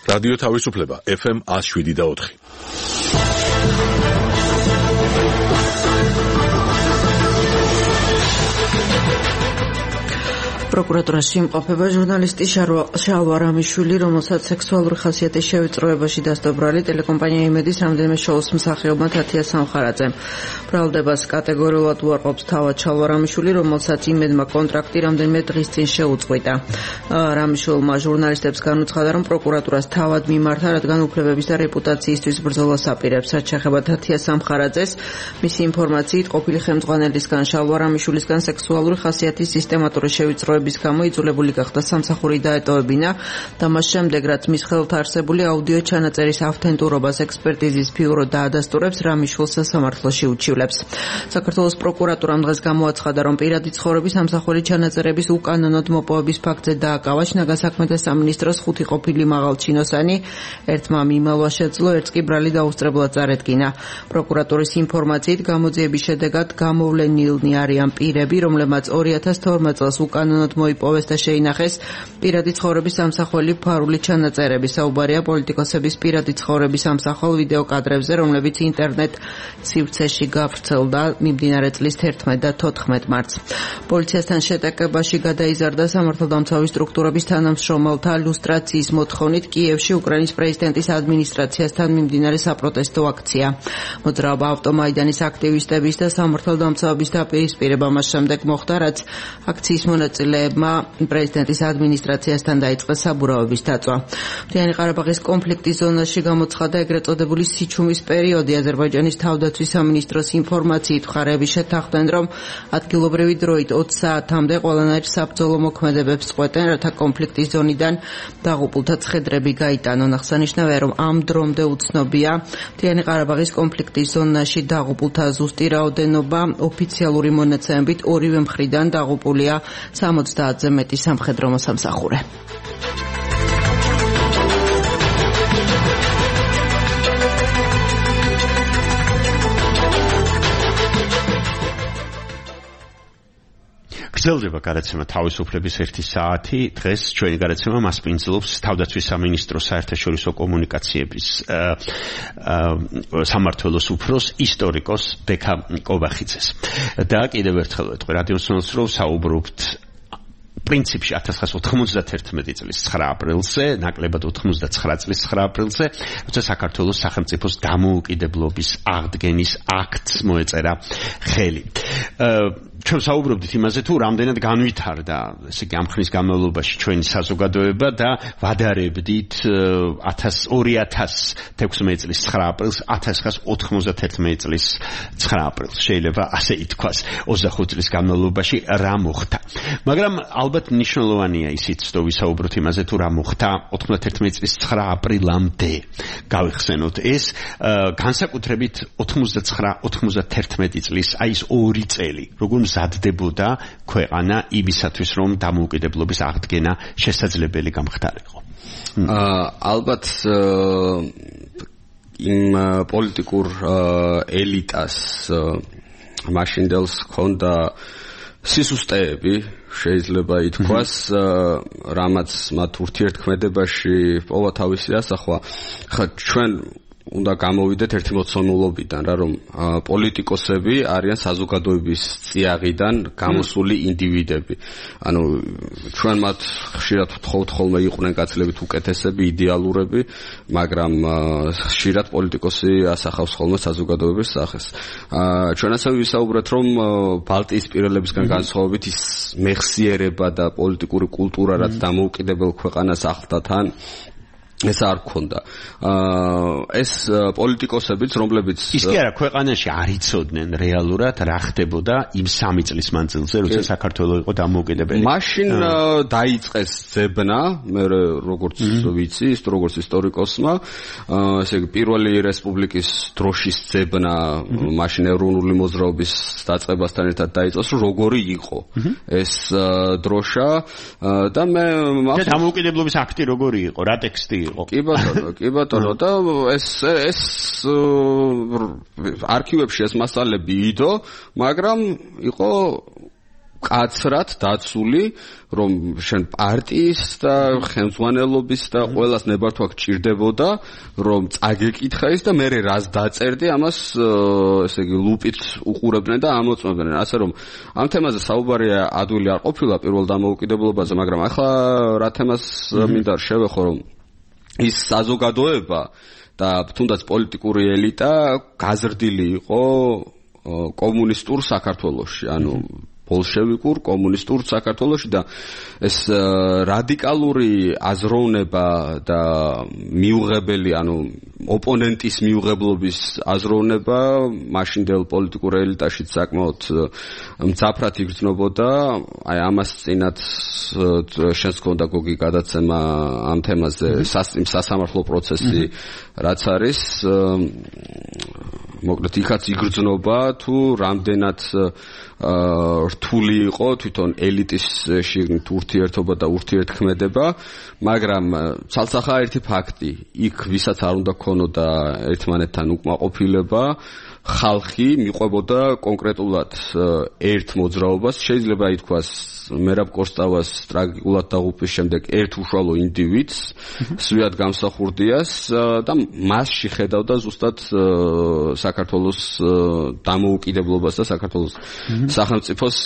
Speaker 1: რადიო თავისუფლება FM 107.4.
Speaker 7: პროკურატურაში იმყოფება ჟურნალისტი შალვა რამიშვილი, რომელსაც სექსუალური ხასიათის შევიწროებაში დასდობრალი ტელეკომპანია იმედის რამდენიმე შოუს მსახიობმა თათია სამხარაძემ. ბრალდებას კატეგორიულად უარყოფს თავად შალვა რამიშვილი, რომელსაც იმედმა კონტრაქტი რამდენიმე დღის წინ შეუწყვიტა. რამიშვილმა ჟურნალისტებს განუცხადა, რომ პროკურატურას თავად მიმართა, რადგან უფლებების და რეპუტაციისთვის ბრძოლას აპირებს. რაც შეეხება თათია სამხარაძეს, მისი ინფორმაციით ყოფილი ხელმძღვანელისგან შალვა რამიშვილისგან სექსუალური ხასიათის სისტემატური შევიწროების გამო იძულებული გახდა სამსახური დაეტოვებინა და მას შემდეგ, რაც მის ხელთ არსებული აუდიო ჩანაწერის ავთენტურობას ექსპერტიზის ბიურო დაადასტურებს, რამიშვილს სასამართლოში უჩივლებს. საქართველოს პროკურატურამ დღეს გამოაცხადა, რომ პირადი ცხოვრების სამსახური ჩანაწერების უკანონოდ მოპოვების ფაქტზე დააკავა შინაგან საქმეთა სამინისტროს 5 ყოფილი მაღალჩინოსანი, ერთმა მიმალვა შეძლო, ერთს კი ბრალი დაუსწრებლად წარედგინა. პროკურატურის ინფორმაციით გამოძიების შედეგად გამოვლენილნი არიან პირები, რომლებმაც 2012 წელს უკანონოდ მოიპოვეს და შეინახეს პირადი ცხოვრების სამსახველი ფარული ჩანაწერები. საუბარია პოლიტიკოსების პირადი ცხოვრების სამსახელ ვიდეო კადრებზე, რომლებიც ინტერნეტ სივრცეში გავრცელდა მიმდინარე წლის 11 და 14 მარტს. პოლიციასთან შეტაკებაში გადაიზარდა სამართალდამცავი სტრუქტურების თანამშრომელთა ლუსტრაციის მოთხოვნით კიევში უკრაინის პრეზიდენტის ადმინისტრაციასთან მიმდინარე საპროტესტო აქცია. მოძრაობა ავტომაიდანის აქტივისტების და სამართალდამცავების დაპირისპირება მას შემდეგ მოხდა, რაც აქციის მონაწილეებმა პრეზიდენტის ადმინისტრაციასთან დაიწყეს საბურავების დაწვა. მთიანი ყარაბაღის კონფლიქტის ზონაში გამოცხადა ეგრეთ წოდებული სიჩუმის პერიოდი. აზერბაიჯანის თავდაცვის სამინისტროს ინფორმაციით მხარეები შეთანხმდნენ, რომ ადგილობრივი დროით 20 საათამდე ყველანაირ საბრძოლო მოქმედებებს წყვეტენ, რათა კონფლიქტის ზონიდან დაღუპულთა ცხედრები გაიტანონ. აღსანიშნავია, რომ ამ დრომდე უცნობია მთიანი ყარაბაღის კონფლიქტის ზონაში დაღუპულთა ზუსტი რაოდენობა. ოფიციალური მონაცემებით ორივე მხრიდან დაღუპულია 70-ზე მეტი სამხედრო მოსამსახურე.
Speaker 4: გრძელდება გადაცემა თავისუფლების 1 საათი. დღეს ჩვენი გადაცემა მასპინძლობს თავდაცვის სამინისტროს საერთაშორისო კომუნიკაციების სამმართველოს უფროს ისტორიკოს ბექა კობახიძეს. და კიდევ ერთხელ ვეთქვი რადიოსმენელს, რომ საუბრობთ პრინციპში 1991 წლის 9 აპრილზე, ნაკლებად 99 წლის 9 აპრილზე, როცა საქართველოს სახელმწიფოს დამოუკიდებლობის აღდგენის აქტს მოეწერა ხელი. ჩვენ საუბრობდით იმაზე, თუ რამდენად განვითარდა, ესე იგი, ამ ხნის განმავლობაში ჩვენი საზოგადოება და ვადარებდით 2016 წლის 9 აპრილს 1991 წლის 9 აპრილს. შეიძლება ასე ითქვას, 25 წლის განმავლობაში რა მოხდა. მაგრამ ალბათ მნიშვნელოვანია ისიც, რომ ვისაუბროთ იმაზე, თუ რა მოხდა 91 წლის 9 აპრილამდე. გავიხსენოთ ეს, განსაკუთრებით 99-91 წლის, აი ეს 2 წელი, როგორ მზადდებოდა ქვეყანა იმისათვის, რომ დამოუკიდებლობის აღდგენა შესაძლებელი გამხდარიყო.
Speaker 6: ალბათ იმ პოლიტიკურ ელიტას მაშინდელს ჰქონდა სისუსტეები, შეიძლება ითქვას, რამაც მათ ურთიერთქმედებაში პოვა თავისი ასახვა. ხა ჩვენ უნდა გამოვიდეთ ერთი მოცემულობიდან, რა რომ პოლიტიკოსები არიან საზოგადოების წიაღიდან გამოსული ინდივიდები. ანუ ჩვენ მათ ხშირად ვთხოვთ ხოლმე იყვნენ გაცილებით უკეთესები, იდეალურები, მაგრამ ხშირად პოლიტიკოსი ასახავს ხოლმე საზოგადოების სახეს. ჩვენ ასევე ვისაუბრეთ, რომ ბალტიისპირელებისგან განსხვავებით ის მეხსიერება და პოლიტიკური კულტურა, რაც დამოუკიდებელ ქვეყანას ახლდა თან, ეს არ ქონდა. ეს პოლიტიკოსებიც, რომლებიც
Speaker 4: ის კი არა, ქვეყანაში არ იცოდნენ რეალურად რა ხდებოდა იმ 3 წლის მანძილზე, როცა საქართველო იყო დამოუკიდებელი.
Speaker 6: მაშინ დაიწყეს ძებნა, მე როგორც ვიცი, როგორც ისტორიკოსმა, ესე იგი პირველი რესპუბლიკის დროშის ძებნა მაშინ ეროვნული მოძრაობის დაწყებასთან ერთად დაიწყეს, როგორი იყო ეს დროშა და მე
Speaker 4: დამოუკიდებლობის აქტი როგორი იყო, რა ტექსტი იყო?
Speaker 6: კი ბატონო და ეს არქივებში ეს მასალები იდო, მაგრამ იყო კაცრად დაცული, რომ შენ პარტიის და ხელმძღვანელობის და ყველას ნებართვა გჭირდებოდა, რომ წაგეკითხა ის და მე რას დაწერდი, ამას ესე იგი ლუპით უყურებდნენ და ამოწმებდნენ. ასე რომ ამ თემაზე საუბარია ადვილი არ ყოფილა პირველ დამოუკიდებლობაზე, მაგრამ ახლა რა თემას მინდა შევეხო, რომ ის საზოგადოება და თუნდაც პოლიტიკური ელიტა გაზრდილი იყო კომუნისტურ საქართველოში, ანუ ბოლშევიკურ კომუნისტურ საქართველოში და ეს რადიკალური აზროვნება და მიუღებელი, ანუ ოპონენტის მიუღებლობის აზროვნება მაშინდელ პოლიტიკურ ელიტაში საკმაოდ მძაფრად იგრძნობოდა. აი ამას წინათ შენს გქონდა გოგი გადაცემა ამ თემაზე, სასამართლო პროცესი რაც არის, მოკლედ იქაც იგრძნობა თუ რამდენად რთული იყო თვითონ ელიტის შიგნით ურთიერთობა და ურთიერთქმედება, მაგრამ ცალსახა ერთი ფაქტი, იქ ვისაც არ უნდა ქონოდა ერთმანეთთან უკმაყოფილება, ხალხი მიყვებოდა კონკრეტულად ერთ მოძრაობას, შეიძლება ითქვას მერაბ კოსტავას ტრაგიკულად დაღუპვის შემდეგ ერთ უშუალო ინდივიდს, სვიად გამსახურდიას და მასში ხედავდა ზუსტად საქართველოს დამოუკიდებლობას და საქართველოს სახელმწიფოს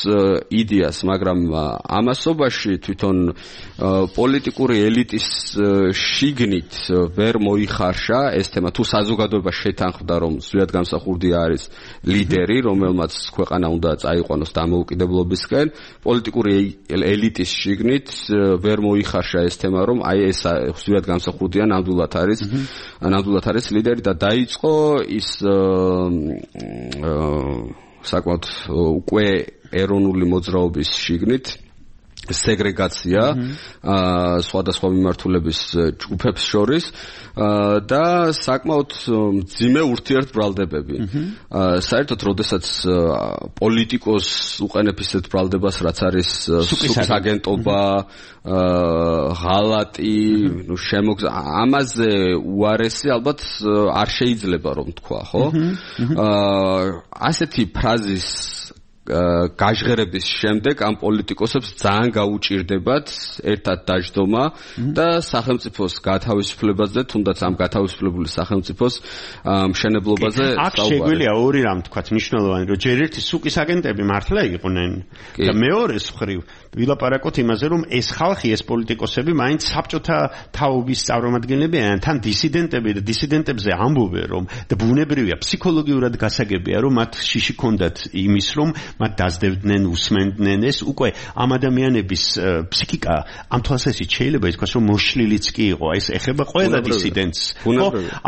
Speaker 6: იდეას, მაგრამ ამასობაში თვითონ პოლიტიკური ელიტის შიგნით ვერ მოიხარშა ეს თემა, თუ საზოგადოება შეთანხმდა, რომ სვიად გამსახურდია არის ლიდერი, რომელმაც ქვეყანა უნდა წაიყვანოს დამოუკიდებლობისკენ, პოლიტიკური ელიტის შიგნით ვერ მოიხარშა ეს თემა, რომ აი ეს სვიად გამსახურდია ნამდვილად არის ლიდერი და დაიწყო ის საკმაოდ უკვე ეროვნული მოძრაობის შიგნით სეგრეგაცია სხვადასხვა მიმართულების ჯგუფებს შორის და საკმაოდ მძიმე ურთიერთბრალდებები. საერთოდ, როდესაც პოლიტიკოს უყენებ ისეთ ბრალდებას, რაც არის საგენტობა, ღალატი, ამაზე უარესი ალბათ არ შეიძლება რომ თქვა, ხო? ასეთი ფრაზის გაჟღერების შემდეგ ამ პოლიტიკოსებს ძალიან გაუჭირდებათ ერთად დაждდომა და სახელმწიფოს გათავისუფლებაზე, თუნდაც ამ გათავისუფლებული სახელმწიფოს მშენებლობაზე
Speaker 4: საუბარი. აქ შეგვიძლია ორი რამ თქვათ მნიშვნელოვანი, რომ ჯერ ერთი სუკის აგენტები მართლა იყვნენ და მეორეს მხრივ ვილაპარაკოთ იმაზე, რომ ეს ხალხი, ეს პოლიტიკოსები მაინც საბჭოთა თაობის წარმომადგენლები არიან, თან დისიდენტები და დისიდენტებზე ამბობენ, რომ და ბუნებრივია, ფსიქოლოგიურად გასაგებია, რომ მათ შიში ქონდათ იმის, რომ მათ დაძდებდნენ, უსმენდნენ, ეს უკვე ამ ადამიანების ფსიქიკა ამ თვალსაზრისით შეიძლება ითქვას, რომ მოშლილიც კი იყო, ეს ეხება ყველა დისიდენტს.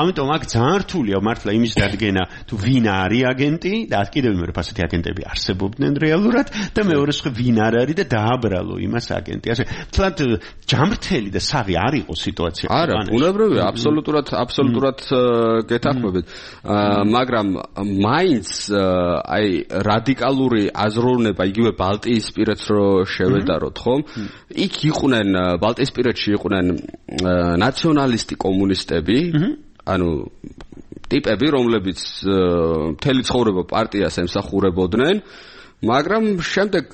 Speaker 4: ამიტომ აქ ძალიან რთულია მართლა იმის დადგენა, თუ ვინ არის აგენტი და კიდევ მეორე ფასეთი აგენტები არსებობდნენ რეალურად და მეორე სხვა ვინ არ არის და დააბრალო იმას აგენტი. ასე თლად ჯამრთელი და საღი არ იყო სიტუაცია.
Speaker 6: არა, ბუნებრივია, აბსოლუტურად გეთანხმებით. მაგრამ მაინც აი რადიკალური აზროვნება იგივე ბალტიისპირეთს რო შევედაროთ, ხომ? იქ იყვნენ ბალტიისპირეთში იყვნენ ნაციონალისტი კომუნისტები, ანუ ტიპები, რომლებიც მთელი ცხოვრება პარტიას ემსახურებოდნენ, მაგრამ შემდეგ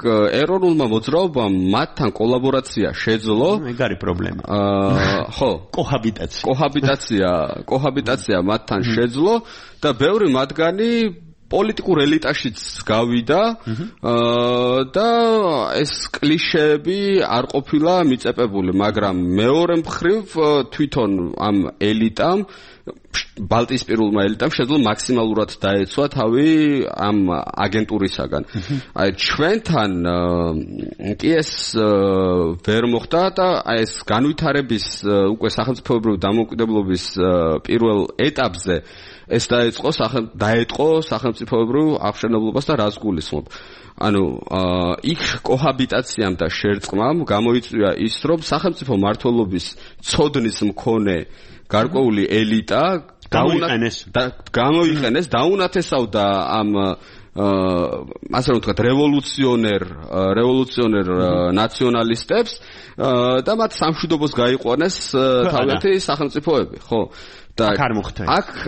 Speaker 6: ეროვნულმა მოძრაობამ მათთან კოლაბორაცია შეძლო.
Speaker 4: ეგ არის პრობლემა.
Speaker 6: ხო, კოჰაბიტაცია მათთან შეძლო და ბევრი მათგანი პოლიტიკურ ელიტაშიც გავიდა და ეს კლიშეები არ ყოფილა მიწეპებული, მაგრამ მეორე მხრივ თვითონ ამ ელიტამ, ბალტიისპირულმა ელიტამ შეძლო მაქსიმალურად დაეცვა თავი ამ აგენტურისაგან. აი ჩვენთან კი ეს ვერ მოხდა და აი ეს განვითარების უკვე სახელმწიფოებრივი დამოუკიდებლობის პირველ ეტაპზე ეს დაეწყო სახელმწიფოებრივ აღშენებლობას და რას გულისხმობ. ანუ იქ კოჰაბიტაციამ და შერწყმამ გამოიწვია ის, რომ სახელმწიფო მმართველობის ცოდნის მქონე გარკვეული ელიტა გამოიყენეს, დაუნათესავდა ამ ასე რომ ვთქვათ რევოლუციონერ ნაციონალისტებს და მათ სამშვიდობოს გაიყვანეს თავიანთი სახელმწიფოები, ხო? და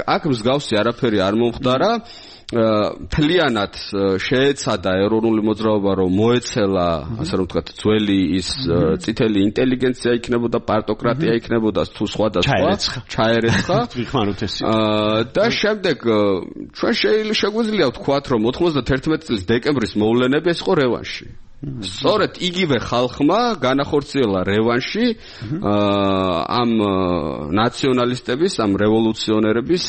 Speaker 6: აქ მსგავსი არაფერი არ მომხდარა. მთლიანად შეეცადა ეროვნული მოძრაობა რომ მოეცელა ასე რომ ვთქვათ ძველი ის წითელი ინტელიგენცია იქნებოდა პარტოკრატია იქნებოდა თუ სხვა და სხვა ჩაერეცხა და შემდეგ ჩვენ შეგვიძლია ვთქვათ რომ 91 წლის დეკემბრის მოვლენები ეს იყო რევანში სწორედ იგივე ხალხმა განახორციელა რევანში ამ ნაციონალისტების, ამ რევოლუციონერების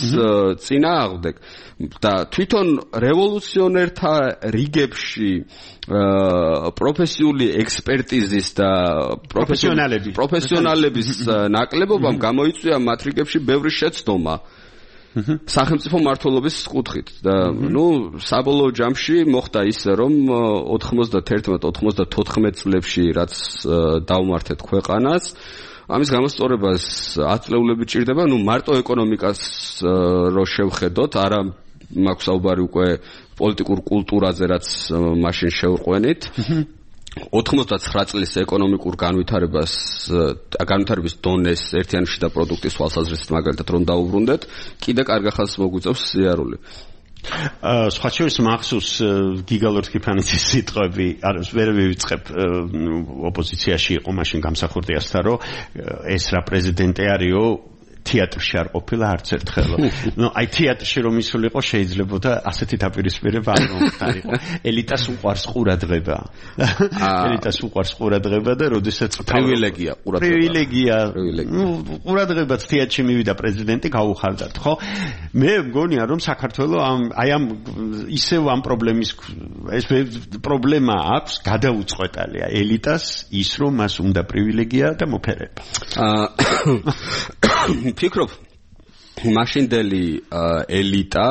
Speaker 6: წინააღმდეგ და თვითონ რევოლუციონერთა რიგებში პროფესიული ექსპერტიზის და პროფესიონალების ნაკლებობამ გამოიწვია მათ რიგებში ბევრი შეცდომა სახელმწიფო მმართველობის კუთხით და საბოლოო ჯამში მოხდა ისე რომ 91-94 წლებში რაც დაუმართეთ ქვეყანას ამის გამოსწორებას 10 წლეულები ჭირდება მარტო ეკონომიკას რო შევხედოთ არა მაქვს საუბარი უკვე პოლიტიკურ კულტურაზე რაც მაშინ შევყვენით 99 წლის ეკონომიკურ განვითარების დონეს ერთიანი შიდა პროდუქტის თვალსაზრისით მაგალითად რომ დაუბრუნდეთ, კიდე კარგ ახალს მოგვიწევს სიარული.
Speaker 4: სხვა შორის მახსოვს გიგალორ კიფანიძის სიტყვები, ვერ ვივიწყებ ოპოზიციაში იყო მაშინ გამსახურდიასთან რომ ეს რა პრეზიდენტი არისო თეატრში არ ყოფილა არც ერთხელ. აი თეატრში რომ ისულიყო შეიძლებოდა ასეთი დაპირისპირება არ მომხდარიყო. ელიტას უყვარს ყურადღება. ელიტას უყვარს ყურადღება და როდესაც
Speaker 6: პრივილეგია
Speaker 4: ყურადღებაც თეატრში მივიდა პრეზიდენტი გაუხარდათ, ხო? მე მგონია რომ საქართველოს ამ ისევ ამ პრობლემის ეს პრობლემა აქვს გადაუწყვეტალია ელიტას ის რომ მას უნდა პრივილეგია და მოფერება.
Speaker 6: ფიქრობ მაშინდელი ელიტა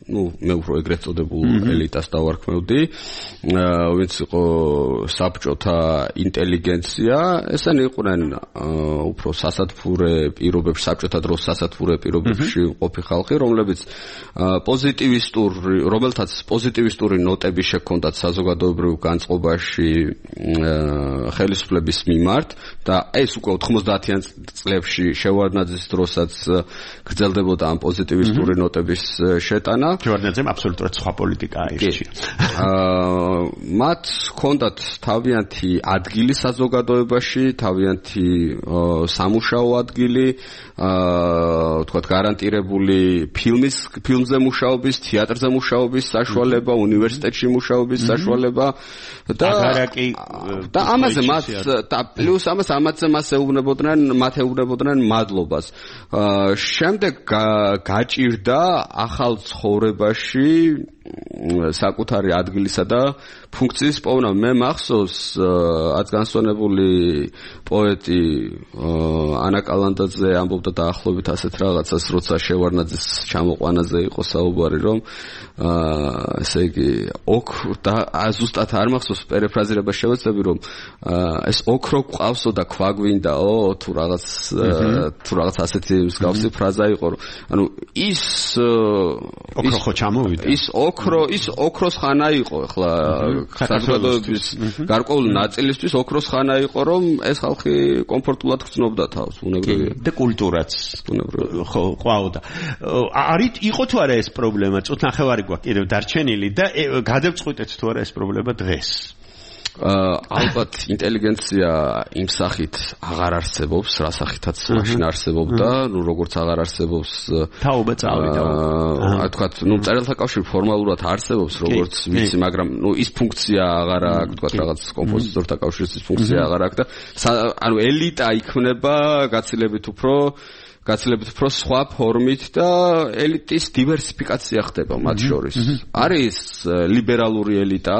Speaker 6: მე უფრო ეგრეთ წოდებულ ელიტას დავარქმევდი ვინც იყო საბჭოთა ინტელიგენცია ესენი იყვნენ უფრო სასათბურე პირობებში საბჭოთა დროს სასათბურე პირობებში ყოფი ხალხი რომლებიც რომელთაც პოზიტივისტური ნოტები შექონდათ საზოგადოებრივ განწყობაში ხელისუფლების მიმართ და ეს უკვე 90-იან წლებში შევარდნაძის დროსაც გრძელდებოდა ამ პოზიტივისტური ნოტების შეტანა
Speaker 4: ჯორდანძემ აბსოლუტურად სხვა პოლიტიკა აირჩია.
Speaker 6: მათ ჰქონდათ თავიანთი ადგილი საზოგადოებაში, თავიანთი სამუშაო ადგილი, ვთქვათ გარანტირებული ფილმზე მუშაობის, თეატრზე მუშაობის საშუალება, უნივერსიტეტში მუშაობის საშუალება და ამაზე მას და პლუს ამაზე მას ეუბნებოდნენ მადლობას. შემდეგ გაჭირდა ახალ ცხოვრებაში საკუთარი ადგილისა და ფუნქციის პოვნა. მე მახსოვს ათგანსვანებული პოეტი ანა კალანდაძე ამბობდა დაახლოებით ასეთ რაღაცას, როცა შევარდნაძის ჩამოყვანაზე იყო საუბარი, რომ ესე იგი და ზუსტად არ მახსოვს პერიფრაზირება შევეცდები, რომ ეს ოქრო ყავსო და ქვაგვინდაო თუ რაღაც ასეთი მსგავსი ფრაზა იყო, რომ ანუ ის
Speaker 4: ოქრო ხო ჩამოვიდა
Speaker 6: ის ოქროს ხანა იყო ახლა საზოგადოების გარკვეული ნაწილისთვის ოქროს ხანა იყო რომ ეს ხალხი კომფორტულად გრძნობდა თავს ბუნებრივია
Speaker 4: და კულტურაც ხო ყვაოდა იყო თუ არა ეს პრობლემა წუთ ნახევარი გვაქვს კიდევ დარჩენილი და გადავწყვიტეთ თუ არა ეს პრობლემა დღეს
Speaker 6: ალბათ ინტელიგენცია იმ სახით აღარ არსებობს, რა სახითაც მაშინ არსებობდა, როგორც აღარ არსებობს
Speaker 4: თაობა წავიდა.
Speaker 6: თქვათ, მწერალთა კავშირი ფორმალურად არსებობს, როგორც ვიცი, მაგრამ ის ფუნქცია აღარ აქვს, თქვათ, რაღაც კომპოზიტორთა კავშირის ის ფუნქცია აღარ აქვს და ანუ ელიტა იქმნება გაცილებით უფრო სხვა ფორმით და ელიტის დივერსიფიკაცია ხდება მათ შორის. არის ლიბერალური ელიტა,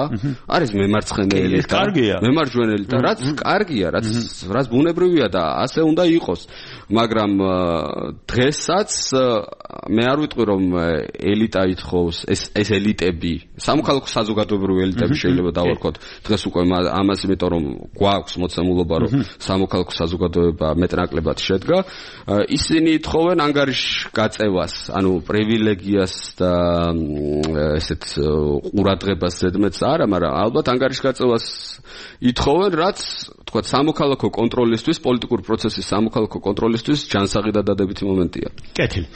Speaker 6: არის მემარცხენე ელიტა, მემარჯვენე ელიტა, რაც კარგია, რაც ბუნებრივია და ასე უნდა იყოს. მაგრამ დღესაც მე არ ვიტყვი რომ ელიტა ითხოვს ეს ელიტები, სამოქალაქო საზოგადოებრივი ელიტები შეიძლება დავარქოთ დღეს უკვე ამას, იმიტომ რომ გვაქვს მოცემულობა რომ სამოქალაქო საზოგადოება მეტნაკლებად შედგა. ისინი ითხოვენ ანგარიშ გაწევას, ანუ პრივილეგიას და ესეთ ყურადღებას ზედმეტს არა, მაგრამ ალბათ ანგარიშ გაწევას ითხოვენ, რაც თქვა სამოქალაქო კონტროლისთვის, პოლიტიკური პროცესის სამოქალაქო კონტროლისთვის ჯანსაღი და დადებითი მომენტია.
Speaker 4: კეთილი.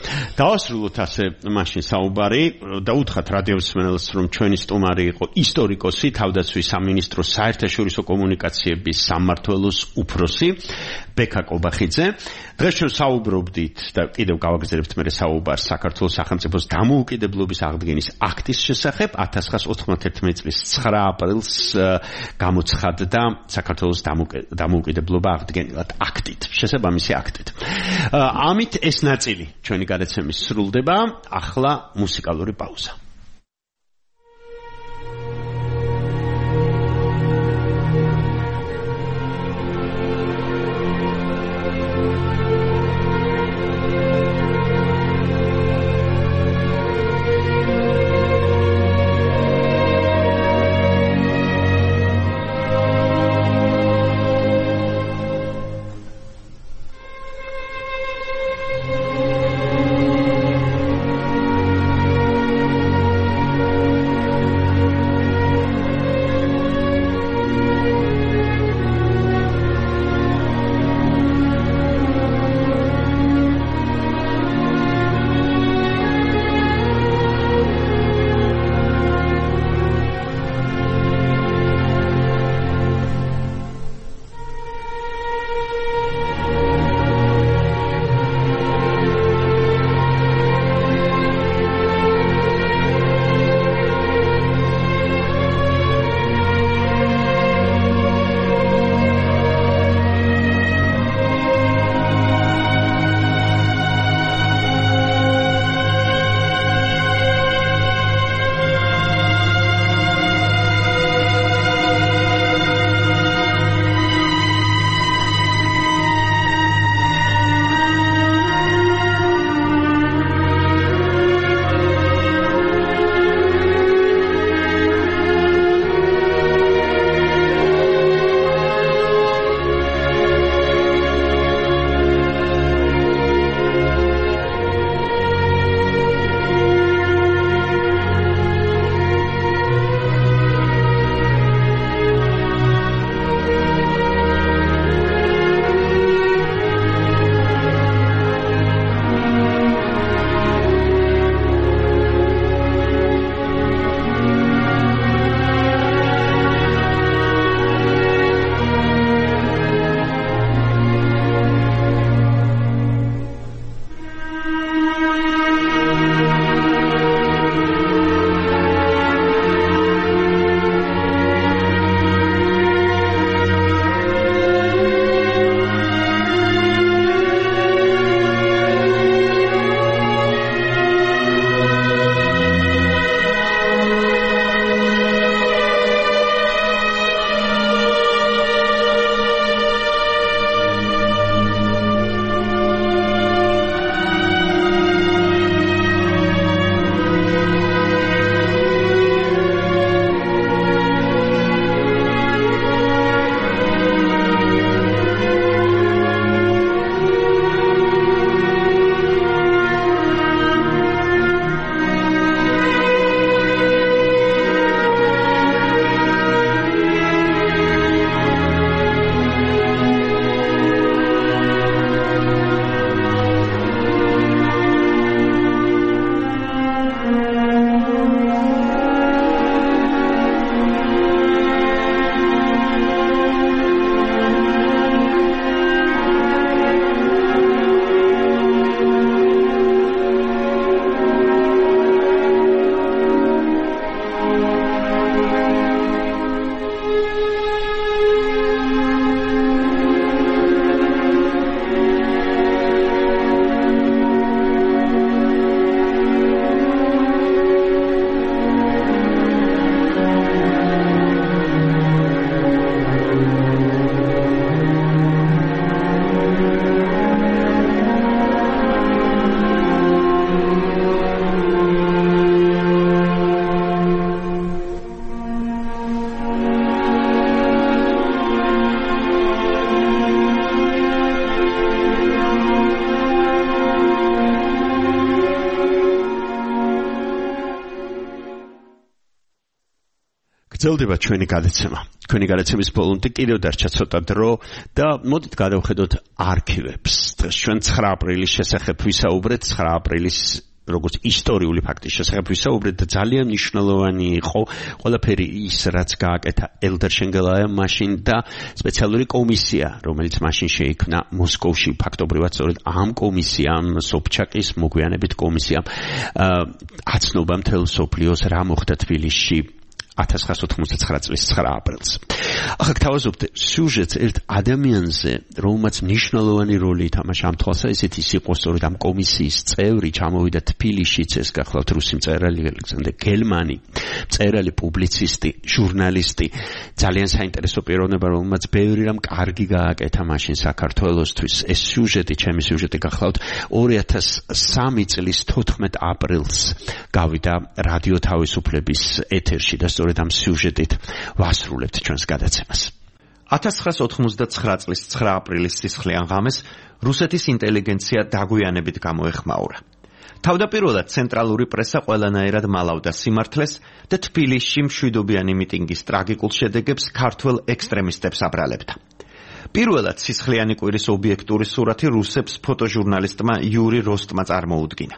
Speaker 4: დავასრულოთ ასე მაშინ საუბარი და უთხრათ რადიოსმენელს, რომ ჩვენი სტუმარი იყო ისტორიკოსი, თავდაცვის სამინისტროს საერთაშორისო კომუნიკაციების სამმართველოს უფროსი ბექა კობახიძე. დღეს ჩვენ საუბრობდით და კიდევ გავაგრძელებთ მე საუბარს საქართველოს სახელმწიფოს დამოუკიდებლობის აღდგენის აქტის შესახებ. 1991 წლის 9 აპრილს გამოცხადდა საქართველოს დამოუკიდებლობა აღდგენილად აქტით, შესაბამისი აქტით. ამით ეს ნაწილი ჩვენი გადაცემის სრულდება. ახლა მუსიკალური პაუზა. გრძელდება ჩვენი გადაცემა. თქვენი გადაცემის ბოლომდე კიდევ დარჩა ცოტა დრო და მოდით გადავხედოთ არქივებს. დღეს ჩვენ 9 აპრილის შესახებ ვისაუბრეთ, 9 აპრილის როგორც ისტორიული ფაქტის შესახებ ვისაუბრეთ და ძალიან მნიშვნელოვანი იყო ყველაფერი ის, რაც გააკეთა ელდარ შენგელაიამ მაშინ და სპეციალური კომისია, რომელიც მაშინ შეიქმნა მოსკოვში. ფაქტობრივად სწორედ ამ კომისიამ, სობჩაკის მოგვიანებით კომისიამ აცნობა მთელ მსოფლიოს რა მოხდა თბილისში 1989 წლის 9 აპრილს. ახლა გთავაზობთ სიუჟეტს ერთ ადამიანზე, რომელმაც მნიშვნელოვანი როლი ითამაშა ამ თვალსაზრისით, ის იყო სწორედ ამ კომისიის წევრი, ჩამოვიდა თბილისშიც, ეს გახლავთ რუსი მწერალი ალექსანდრე გელმანი, მწერალი, პუბლიცისტი, ჟურნალისტი, ძალიან საინტერესო პიროვნება, რომელმაც ბევრი რამ კარგი გააკეთა მაშინ საქართველოსთვის. ეს სიუჟეტი, ჩემი სიუჟეტი გახლავთ 2003 წლის 14 აპრილს გავიდა რადიო თავისუფლების ეთერში და სწორედ ამ სიუჟეტით ვასრულებთ ჩვენს გადაცემას. 1989 წლის 9 აპრილის სისხლიან ღამეს რუსეთის ინტელიგენცია დაგვიანებით გამოეხმაურა. თავდაპირველად ცენტრალური პრესა ყველანაირად მალავდა სიმართლეს და თბილისში მშვიდობიანი მიტინგის ტრაგიკულ შედეგებს ქართველ ექსტრემისტებს აბრალებდა. პირველად სისხლიანი კვირის ობიექტური სურათი რუსებს ფოტოჟურნალისტმა იური როსტმა წარმოუდგინა.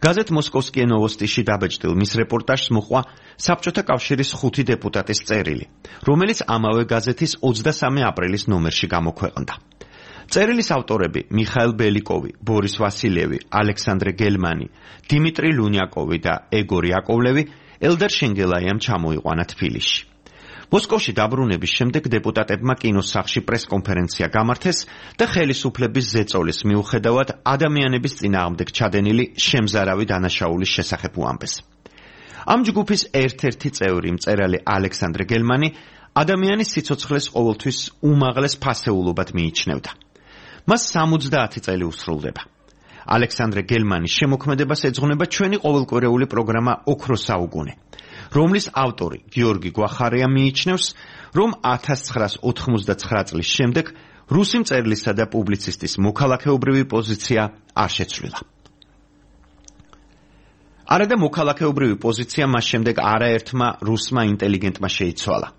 Speaker 4: გაზეთ მოსკოვსკიე ნოვოსტიში დაბეჭდილ მის რეპორტაჟს მოყვა საბჭოთა კავშირის 5 დეპუტატის წერილი, რომელიც ამავე გაზეთის 23 აპრილის ნომერში გამოქვეყნდა. წერილის ავტორები მიხაილ ბელიკოვი, ბორის ვასილევი, ალექსანდრე გელმანი, დიმიტრი ლუნიაკოვი და ეგორ იაკოვლევი ელდარ შენგელაიამ ჩამოიყვანა თბილისში. მოსკოვში დაბრუნების შემდეგ დეპუტატებმა კინოსახში პრესკონფერენცია გამართეს და ხელისუფლების ზეწოლის მიუხედავად ადამიანების წინააღმდეგ ჩადენილი შემზარავი დანაშაულის შესახებ უამბეს. ამ ჯგუფის ერთ-ერთი წევრი მწერალი ალექსანდრე გელმანი ადამიანის სიცოცხლეს ყოველთვის უმაღლეს ფასეულობად მიიჩნევდა. მას 70 წელი უსრულდება. ალექსანდრე გელმანის შემოქმედებას ეძღვნება ჩვენი ყოველკვირეული პროგრამა ოქროს საუკუნე, რომლის ავტორი გიორგი გვახარია მიიჩნევს, რომ 1989 წლის შემდეგ რუსი მწერლისა და პუბლიცისტის მოქალაქეობრივი პოზიცია არ შეცვლილა. არადა მოქალაქეობრივი პოზიცია მას შემდეგ არაერთმა რუსმა ინტელიგენტმა შეიცვალა.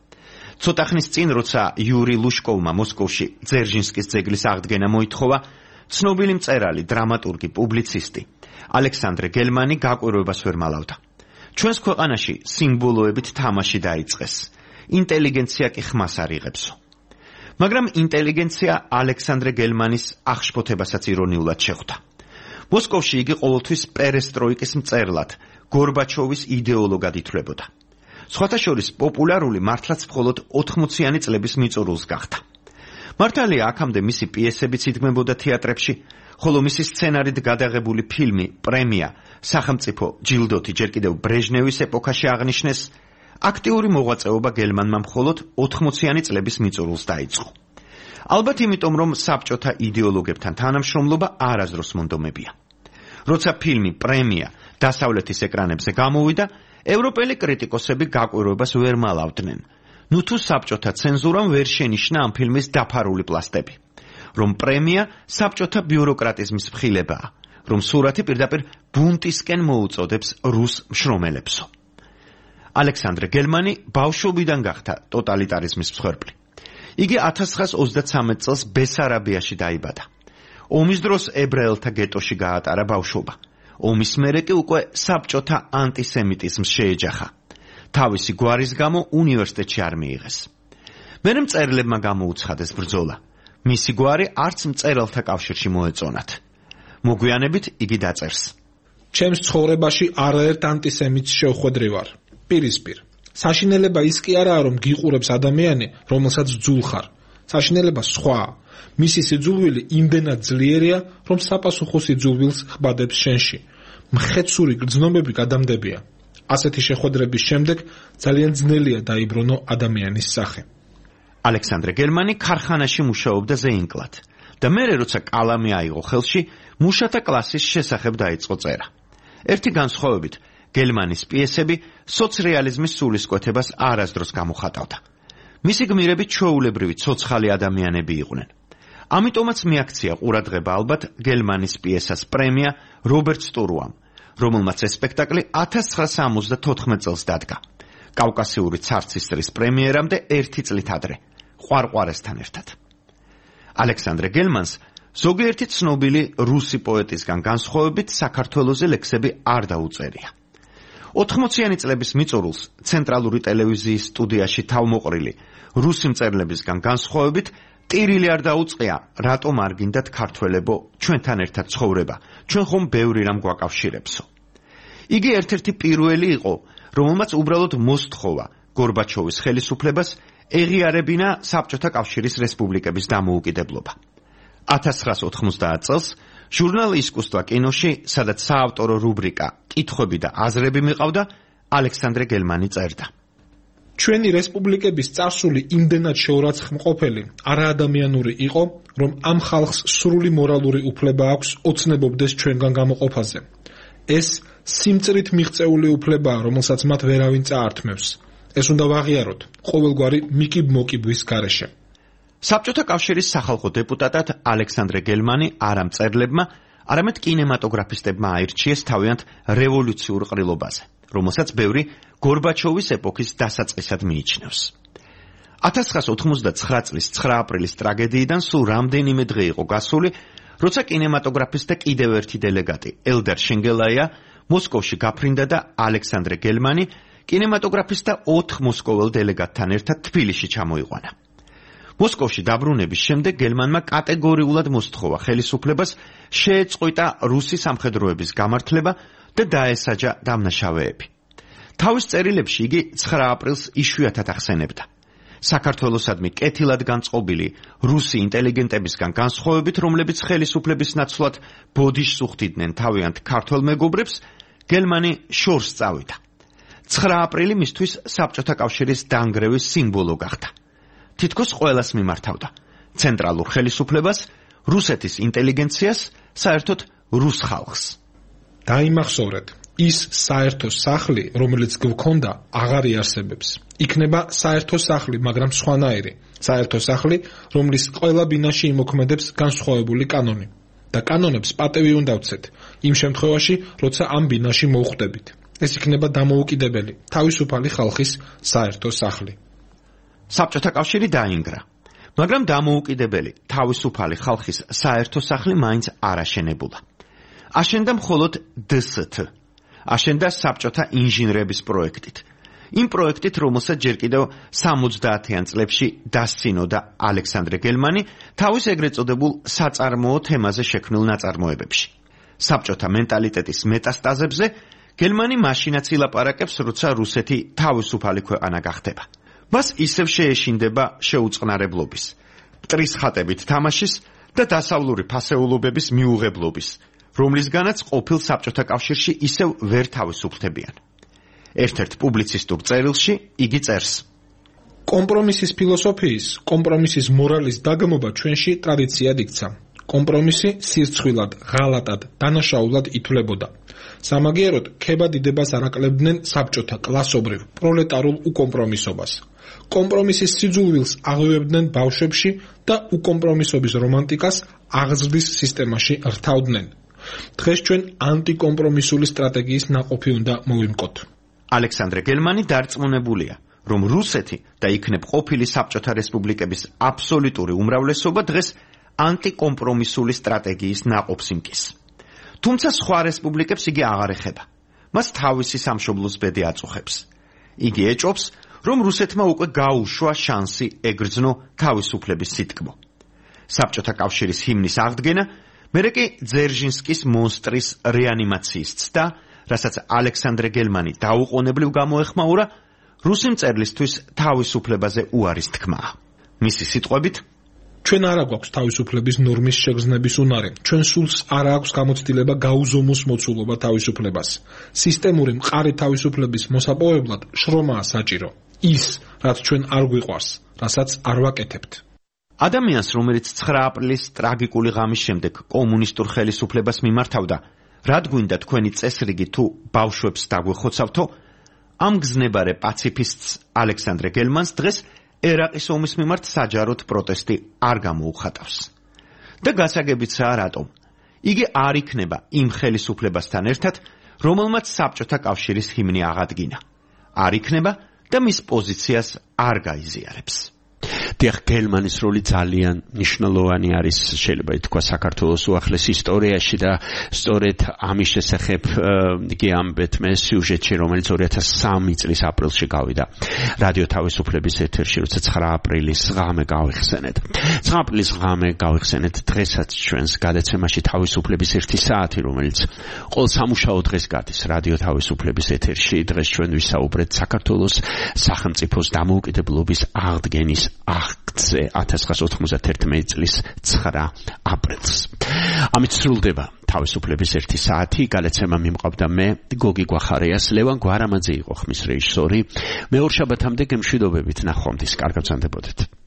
Speaker 4: ცოტა ხნის წინ, როცა იური ლუშკოვმა მოსკოვში ძერჟინსკის ძეგლის აღდგენა მოითხოვა, ცნობილი მწერალი, დრამატურგი, პუბლიცისტი ალექსანდრე გელმანი გაკვირვებას ვერ მალავდა. ჩვენს ქვეყანაში სიმბოლოებით თამაში დაიწყეს. ინტელიგენცია კი ხმას არ იღებსო. მაგრამ ინტელიგენცია ალექსანდრე გელმანის აღშფოთებასაც ირონიულად შეხვდა. მოსკოვში იგი ყოველთვის პერესტროიკის მწერლად, გორბაჩოვის იდეოლოგად ითვლებოდა. სხვათა შორის პოპულარული მართლაც მხოლოდ 80-იანი წლების მიწურულს გახდა. მართალია, აქამდე მისი პიესებიც იდგმებოდა თეატრებში, ხოლო მისი სცენარით გადაღებული ფილმი პრემია სახელმწიფო ჯილდოთი ჯერ კიდევ ბრეჟნევის ეპოქაში აღნიშნეს, აქტიური მოღვაწეობა გელმანმა მხოლოდ 80-იანი წლების მიწურულს დაიწყო. ალბათ იმიტომ, რომ საბჭოთა იდეოლოგებთან თანამშრომლობა არასდროს მონდომებია. როცა ფილმი პრემია დასავლეთის ეკრანებზე გამოვიდა, ევროპელი კრიტიკოსები გაკვირვებას ვერ მალავდნენ. ნუ თუ საბჭოთა ცენზურამ ვერ შენიშნა ამ ფილმის დაფარული პლასტები, რომ პრემია საბჭოთა ბიუროკრატიზმის მხილებაა, რომ სურათი პირდაპირ ბუნტისკენ მოუწოდებს რუს მშრომელებსო. ალექსანდრე გელმანი ბავშვობიდან გახდა ტოტალიტარიზმის მსხვერპლი. იგი 1933 წელს ბესარაბიაში დაიბადა. ომის დროს ებრაელთა გეტოში გაატარა ბავშვობა. ომის მერე კი უკვე საბჭოთა ანტისემიტიზმს შეეჯახა. თავისი გვარის გამო უნივერსიტეტში არ მიიღეს. მერე მწერლებმა გამოუცხადეს ბრძოლა. მისი გვარი არც მწერალთა კავშირში მოეწონათ. მოგვიანებით იგი დაწერს.
Speaker 8: ჩემს ცხოვრებაში არაერთ ანტისემიტს შევხვედრი ვარ. პირისპირ. საშინელება ის კი არაა, რომ გიყურებს ადამიანი, რომელსაც ძულ ხარ. საშინელება სხვაა. მისი სიძულვილი იმდენად ძლიერია, რომ საპასუხო სიძულვილს ხბადებს შენში. მხეცური გრძნობები გადამდებია. ასეთი შეხვედრების შემდეგ ძალიან ძნელია დაიბრუნო ადამიანის სახე.
Speaker 4: ალექსანდრე გელმანი ქარხანაში მუშაობდა ზეინკლად და მერე როცა კალამი აიღო ხელში, მუშათა კლასის შესახებ დაიწყო წერა. ერთი განსხვავებით, გელმანის პიესები სოცრეალიზმის სულისკვეთებას არასდროს გამოხატავდა. მისი გმირები ჩვეულებრივი ცოცხალი ადამიანები იყვნენ. ამიტომაც მიაქცია ყურადღება ალბათ გელმანის პიესას პრემია რობერტ სტურუამ, რომელმაც ეს სპექტაკლი 1974 წელს დადგა. კავკასიური ცარცისტრის პრემიერამდე 1 წლით ადრე, ყვარყვარესთან ერთად. ალექსანდრე გელმანს ზოგიერთი ცნობილი რუსი პოეტისგან განსხვავებით საქართველოზე ლექსები არ დაუწერია. 80-იანი წლების მიწურულს ცენტრალური ტელევიზიის სტუდიაში თავმოყრილი რუსი მწერლებისგან განსხვავებით ტირილი არ დაუწყია, რატომ არ გინდათ ქართველებო ჩვენთან ერთად ცხოვრება, ჩვენ ხომ ბევრი რამ გვაკავშირებსო. იგი ერთ-ერთი პირველი იყო, რომელმაც უბრალოდ მოსთხოვა გორბაჩოვის ხელისუფლებას ეღიარებინა საბჭოთა კავშირის რესპუბლიკების დამოუკიდებლობა. 1990 წელს ჟურნალ ისკუსტვა კინოში, სადაც საავტორო რუბრიკა კითხვები და აზრები მიყავდა, ალექსანდრე გელმანი წერდა.
Speaker 8: ჩვენი რესპუბლიკების წარსული იმდენად შეურაცხმყოფელი, არაადამიანური იყო, რომ ამ ხალხს სრული მორალური უფლება აქვს ოცნებობდეს ჩვენგან გამოყოფაზე. ეს სიმწრით მიღწეული უფლებაა, რომელსაც მათ ვერავინ წაართმევს. ეს უნდა ვაღიაროთ ყოველგვარი მიკიბ-მოკიბვის გარეშე.
Speaker 4: საბჭოთა კავშირის სახალხო დეპუტატად ალექსანდრე გელმანი არა მწერლებმა, არამედ კინემატოგრაფისტებმა აირჩიეს თავიანთ რევოლუციურ ყრილობაზე, რომელსაც ბევრი გორბაჩოვის ეპოქის დასაწყისად მიიჩნევს. 1989 წლის 9 აპრილის ტრაგედიიდან სულ რამდენიმე დღე იყო გასული, როცა კინემატოგრაფისტთა კიდევ ერთი დელეგატი, ელდარ შენგელაია, მოსკოვში გაფრინდა და ალექსანდრე გელმანი კინემატოგრაფისტთა 4 მოსკოველ დელეგატთან ერთად თბილისში ჩამოიყვანა. მოსკოვში დაბრუნების შემდეგ გელმანმა კატეგორიულად მოსთხოვა ხელისუფლებას შეეწყვიტა რუსი სამხედროების გამართლება და დაესაჯა დამნაშავეები. თავის წერილებში იგი 9 აპრილს იშვიათად ახსენებდა. საქართველოსადმი კეთილად განწყობილი რუსი ინტელიგენტებისგან განსხვავებით, რომლებიც ხელისუფლების ნაცვლად ბოდიშს უხდიდნენ თავიანთ ქართველ მეგობრებს, გელმანი შორს წავიდა. 9 აპრილი მისთვის საბჭოთა კავშირის დანგრევის სიმბოლო გახდა. თითქოს ყველას მიმართავდა ცენტრალურ ხელისუფლებას, რუსეთის ინტელიგენციას, საერთოდ რუს ხალხს.
Speaker 8: დაიმახსოვრეთ, ის საერთო სახლი, რომელიც გვქონდა, აღარ იარსებებს. იქნება საერთო სახლი, მაგრამ სხვანაირი. საერთო სახლი, რომლის ყველა ბინაში იმოქმედებს განსხვავებული კანონი. და კანონებს პატევი უნდა ვცეთ, იმ შემთხვევაში, როცა ამ ბინაში მოვხვდებით. ეს იქნება დამოუკიდებელი, თავისუფალი ხალხის საერთო სახლი.
Speaker 4: საბჭოთა კავშირი დაინგრა, მაგრამ დამოუკიდებელი, თავისუფალი ხალხის საერთო სახლი მაინც არ აშენებულა. აშენდა მხოლოდ დსთ. აშენდა საბჭოთა ინჟინრების პროექტით. იმ პროექტით, რომელსაც ჯერ კიდევ 70-იან წლებში დასცინოდა ალექსანდრე გელმანი თავის ეგრეთ წოდებულ საწარმოო თემაზე შექმნილ ნაწარმოებებში. საბჭოთა მენტალიტეტის მეტასტაზებზე გელმანი მაშინაც ილაპარაკებს, როცა რუსეთი თავისუფალი ქვეყანა გახდება. მას ისევ შეეშინდება შეუწყნარებლობის, მტრის ხატებით თამაშის და დასავლური ფასეულობების მიუღებლობის, რომლისგანაც ყოფილ საბჭოთა კავშირში ისევ ვერ თავისუფლდებიან. ერთ-ერთ პუბლიცისტურ წერილში იგი წერს:
Speaker 8: კომპრომისის ფილოსოფიის, კომპრომისის მორალის დაგმობა ჩვენში ტრადიციად იქცა. კომპრომისი სირცხვილად, ღალატად, დანაშაულად ითვლებოდა. სამაგიეროდ ქებადიდებას არაკლებდნენ საბჭოთა კლასობრივ, პროლეტარულ უკომპრომისობას. კომპრომისის სიძულვილს აღევებდნენ ბავშვებში და უკომპრომისობის რომანტიკას აღზრდის სისტემაში რთავდნენ. დღეს ჩვენ ანტიკომპრომისული სტრატეგიის ნაყოფი უნდა მოვიმკოთ.
Speaker 4: ალექსანდრე გელმანი დარწმუნებულია, რომ რუსეთი და იქნებ ყოფილი საბჭოთა რესპუბლიკების აბსოლუტური უმრავლესობა დღეს ანტიკომპრომისული სტრატეგიის ნაყოფს იმკის. თუმცა სხვა რესპუბლიკებს იგი აღარ ეხება. მას თავისი სამშობლოს ბედი აწუხებს. იგი ეჭობს, რომ რუსეთმა უკვე გაუშვა შანსი ეგრძნო თავისუფლების სიტკბო. საბჭოთა კავშირის ჰიმნის აღდგენა, მერე კი ძერჟინსკის მონსტრის რეანიმაციის ცდა, რასაც ალექსანდრე გელმანი დაუყოვნებლივ გამოეხმაურა, რუსი მწერლისთვის თავისუფლებაზე უარის თქმაა. მისი სიტყვებით:
Speaker 8: ჩვენ არ აქვს თავისუფლების ნორმის შეგრძნების უნარი. ჩვენ სულს არ აქვს გამოცდილება გაუზომოს მოცულობა თავისუფლებას. სისტემური მყარი თავისუფლების მოსაპოვებლად შრომაა საჭირო. ის, რაც ჩვენ არ გვიყვარს, რასაც არ ვაკეთებთ.
Speaker 4: ადამიანს, რომელიც 9 აპრილის ტრაგიკული ღამის შემდეგ კომუნისტურ ხელისუფლებას მიმართავდა, რად გვინდა თქვენი წესრიგი თუ ბავშვებს დაგვეხოცავთო, ამ გზნებარე პაციფისტს ალექსანდრე გელმანს დღეს ერაყის ომის მიმართ საჯაროდ პროტესტი არ გამოუხატავს. და გასაგებიცაა რატომ. იგი არ იქნება იმ ხელისუფლებასთან ერთად, რომელმაც საბჭოთა კავშირის ჰიმნი აღადგინა. არ იქნება და მის პოზიციას არ გაიზიარებს. დიახ, გელმანის როლი ძალიან მნიშვნელოვანი არის, შეიძლება ითქვა, საქართველოს უახლეს ისტორიაში და სწორედ ამის შესახებ იგი ამბეთ მე სიუჟეტში, რომელიც 2003 წლის აპრილში გავიდა რადიო თავისუფლების ეთერში, როცა 9 აპრილის ღამე გავიხსენეთ. 9 აპრილის ღამე გავიხსენეთ დღესაც ჩვენს გადაცემაში თავისუფლების 1 საათი, რომელიც ყოველ სამუშაო დღეს გადის რადიო თავისუფლების ეთერში. დღეს ჩვენ ვისაუბრეთ საქართველოს სახელმწიფოს დამოუკიდებლობის აღდგენის აქტზე 1991 წლის 9 აპრილს. ამით სრულდება თავისუფლების 1 საათი. გადაცემა მიმყავდა მე, გოგი გვახარიას, ლევან გვარამაძე იყო ხმის რეჟისორი. მეორე შაბათამდე გემშვიდობებით, ნახვამდის, კარგად გრძანდებოდეთ.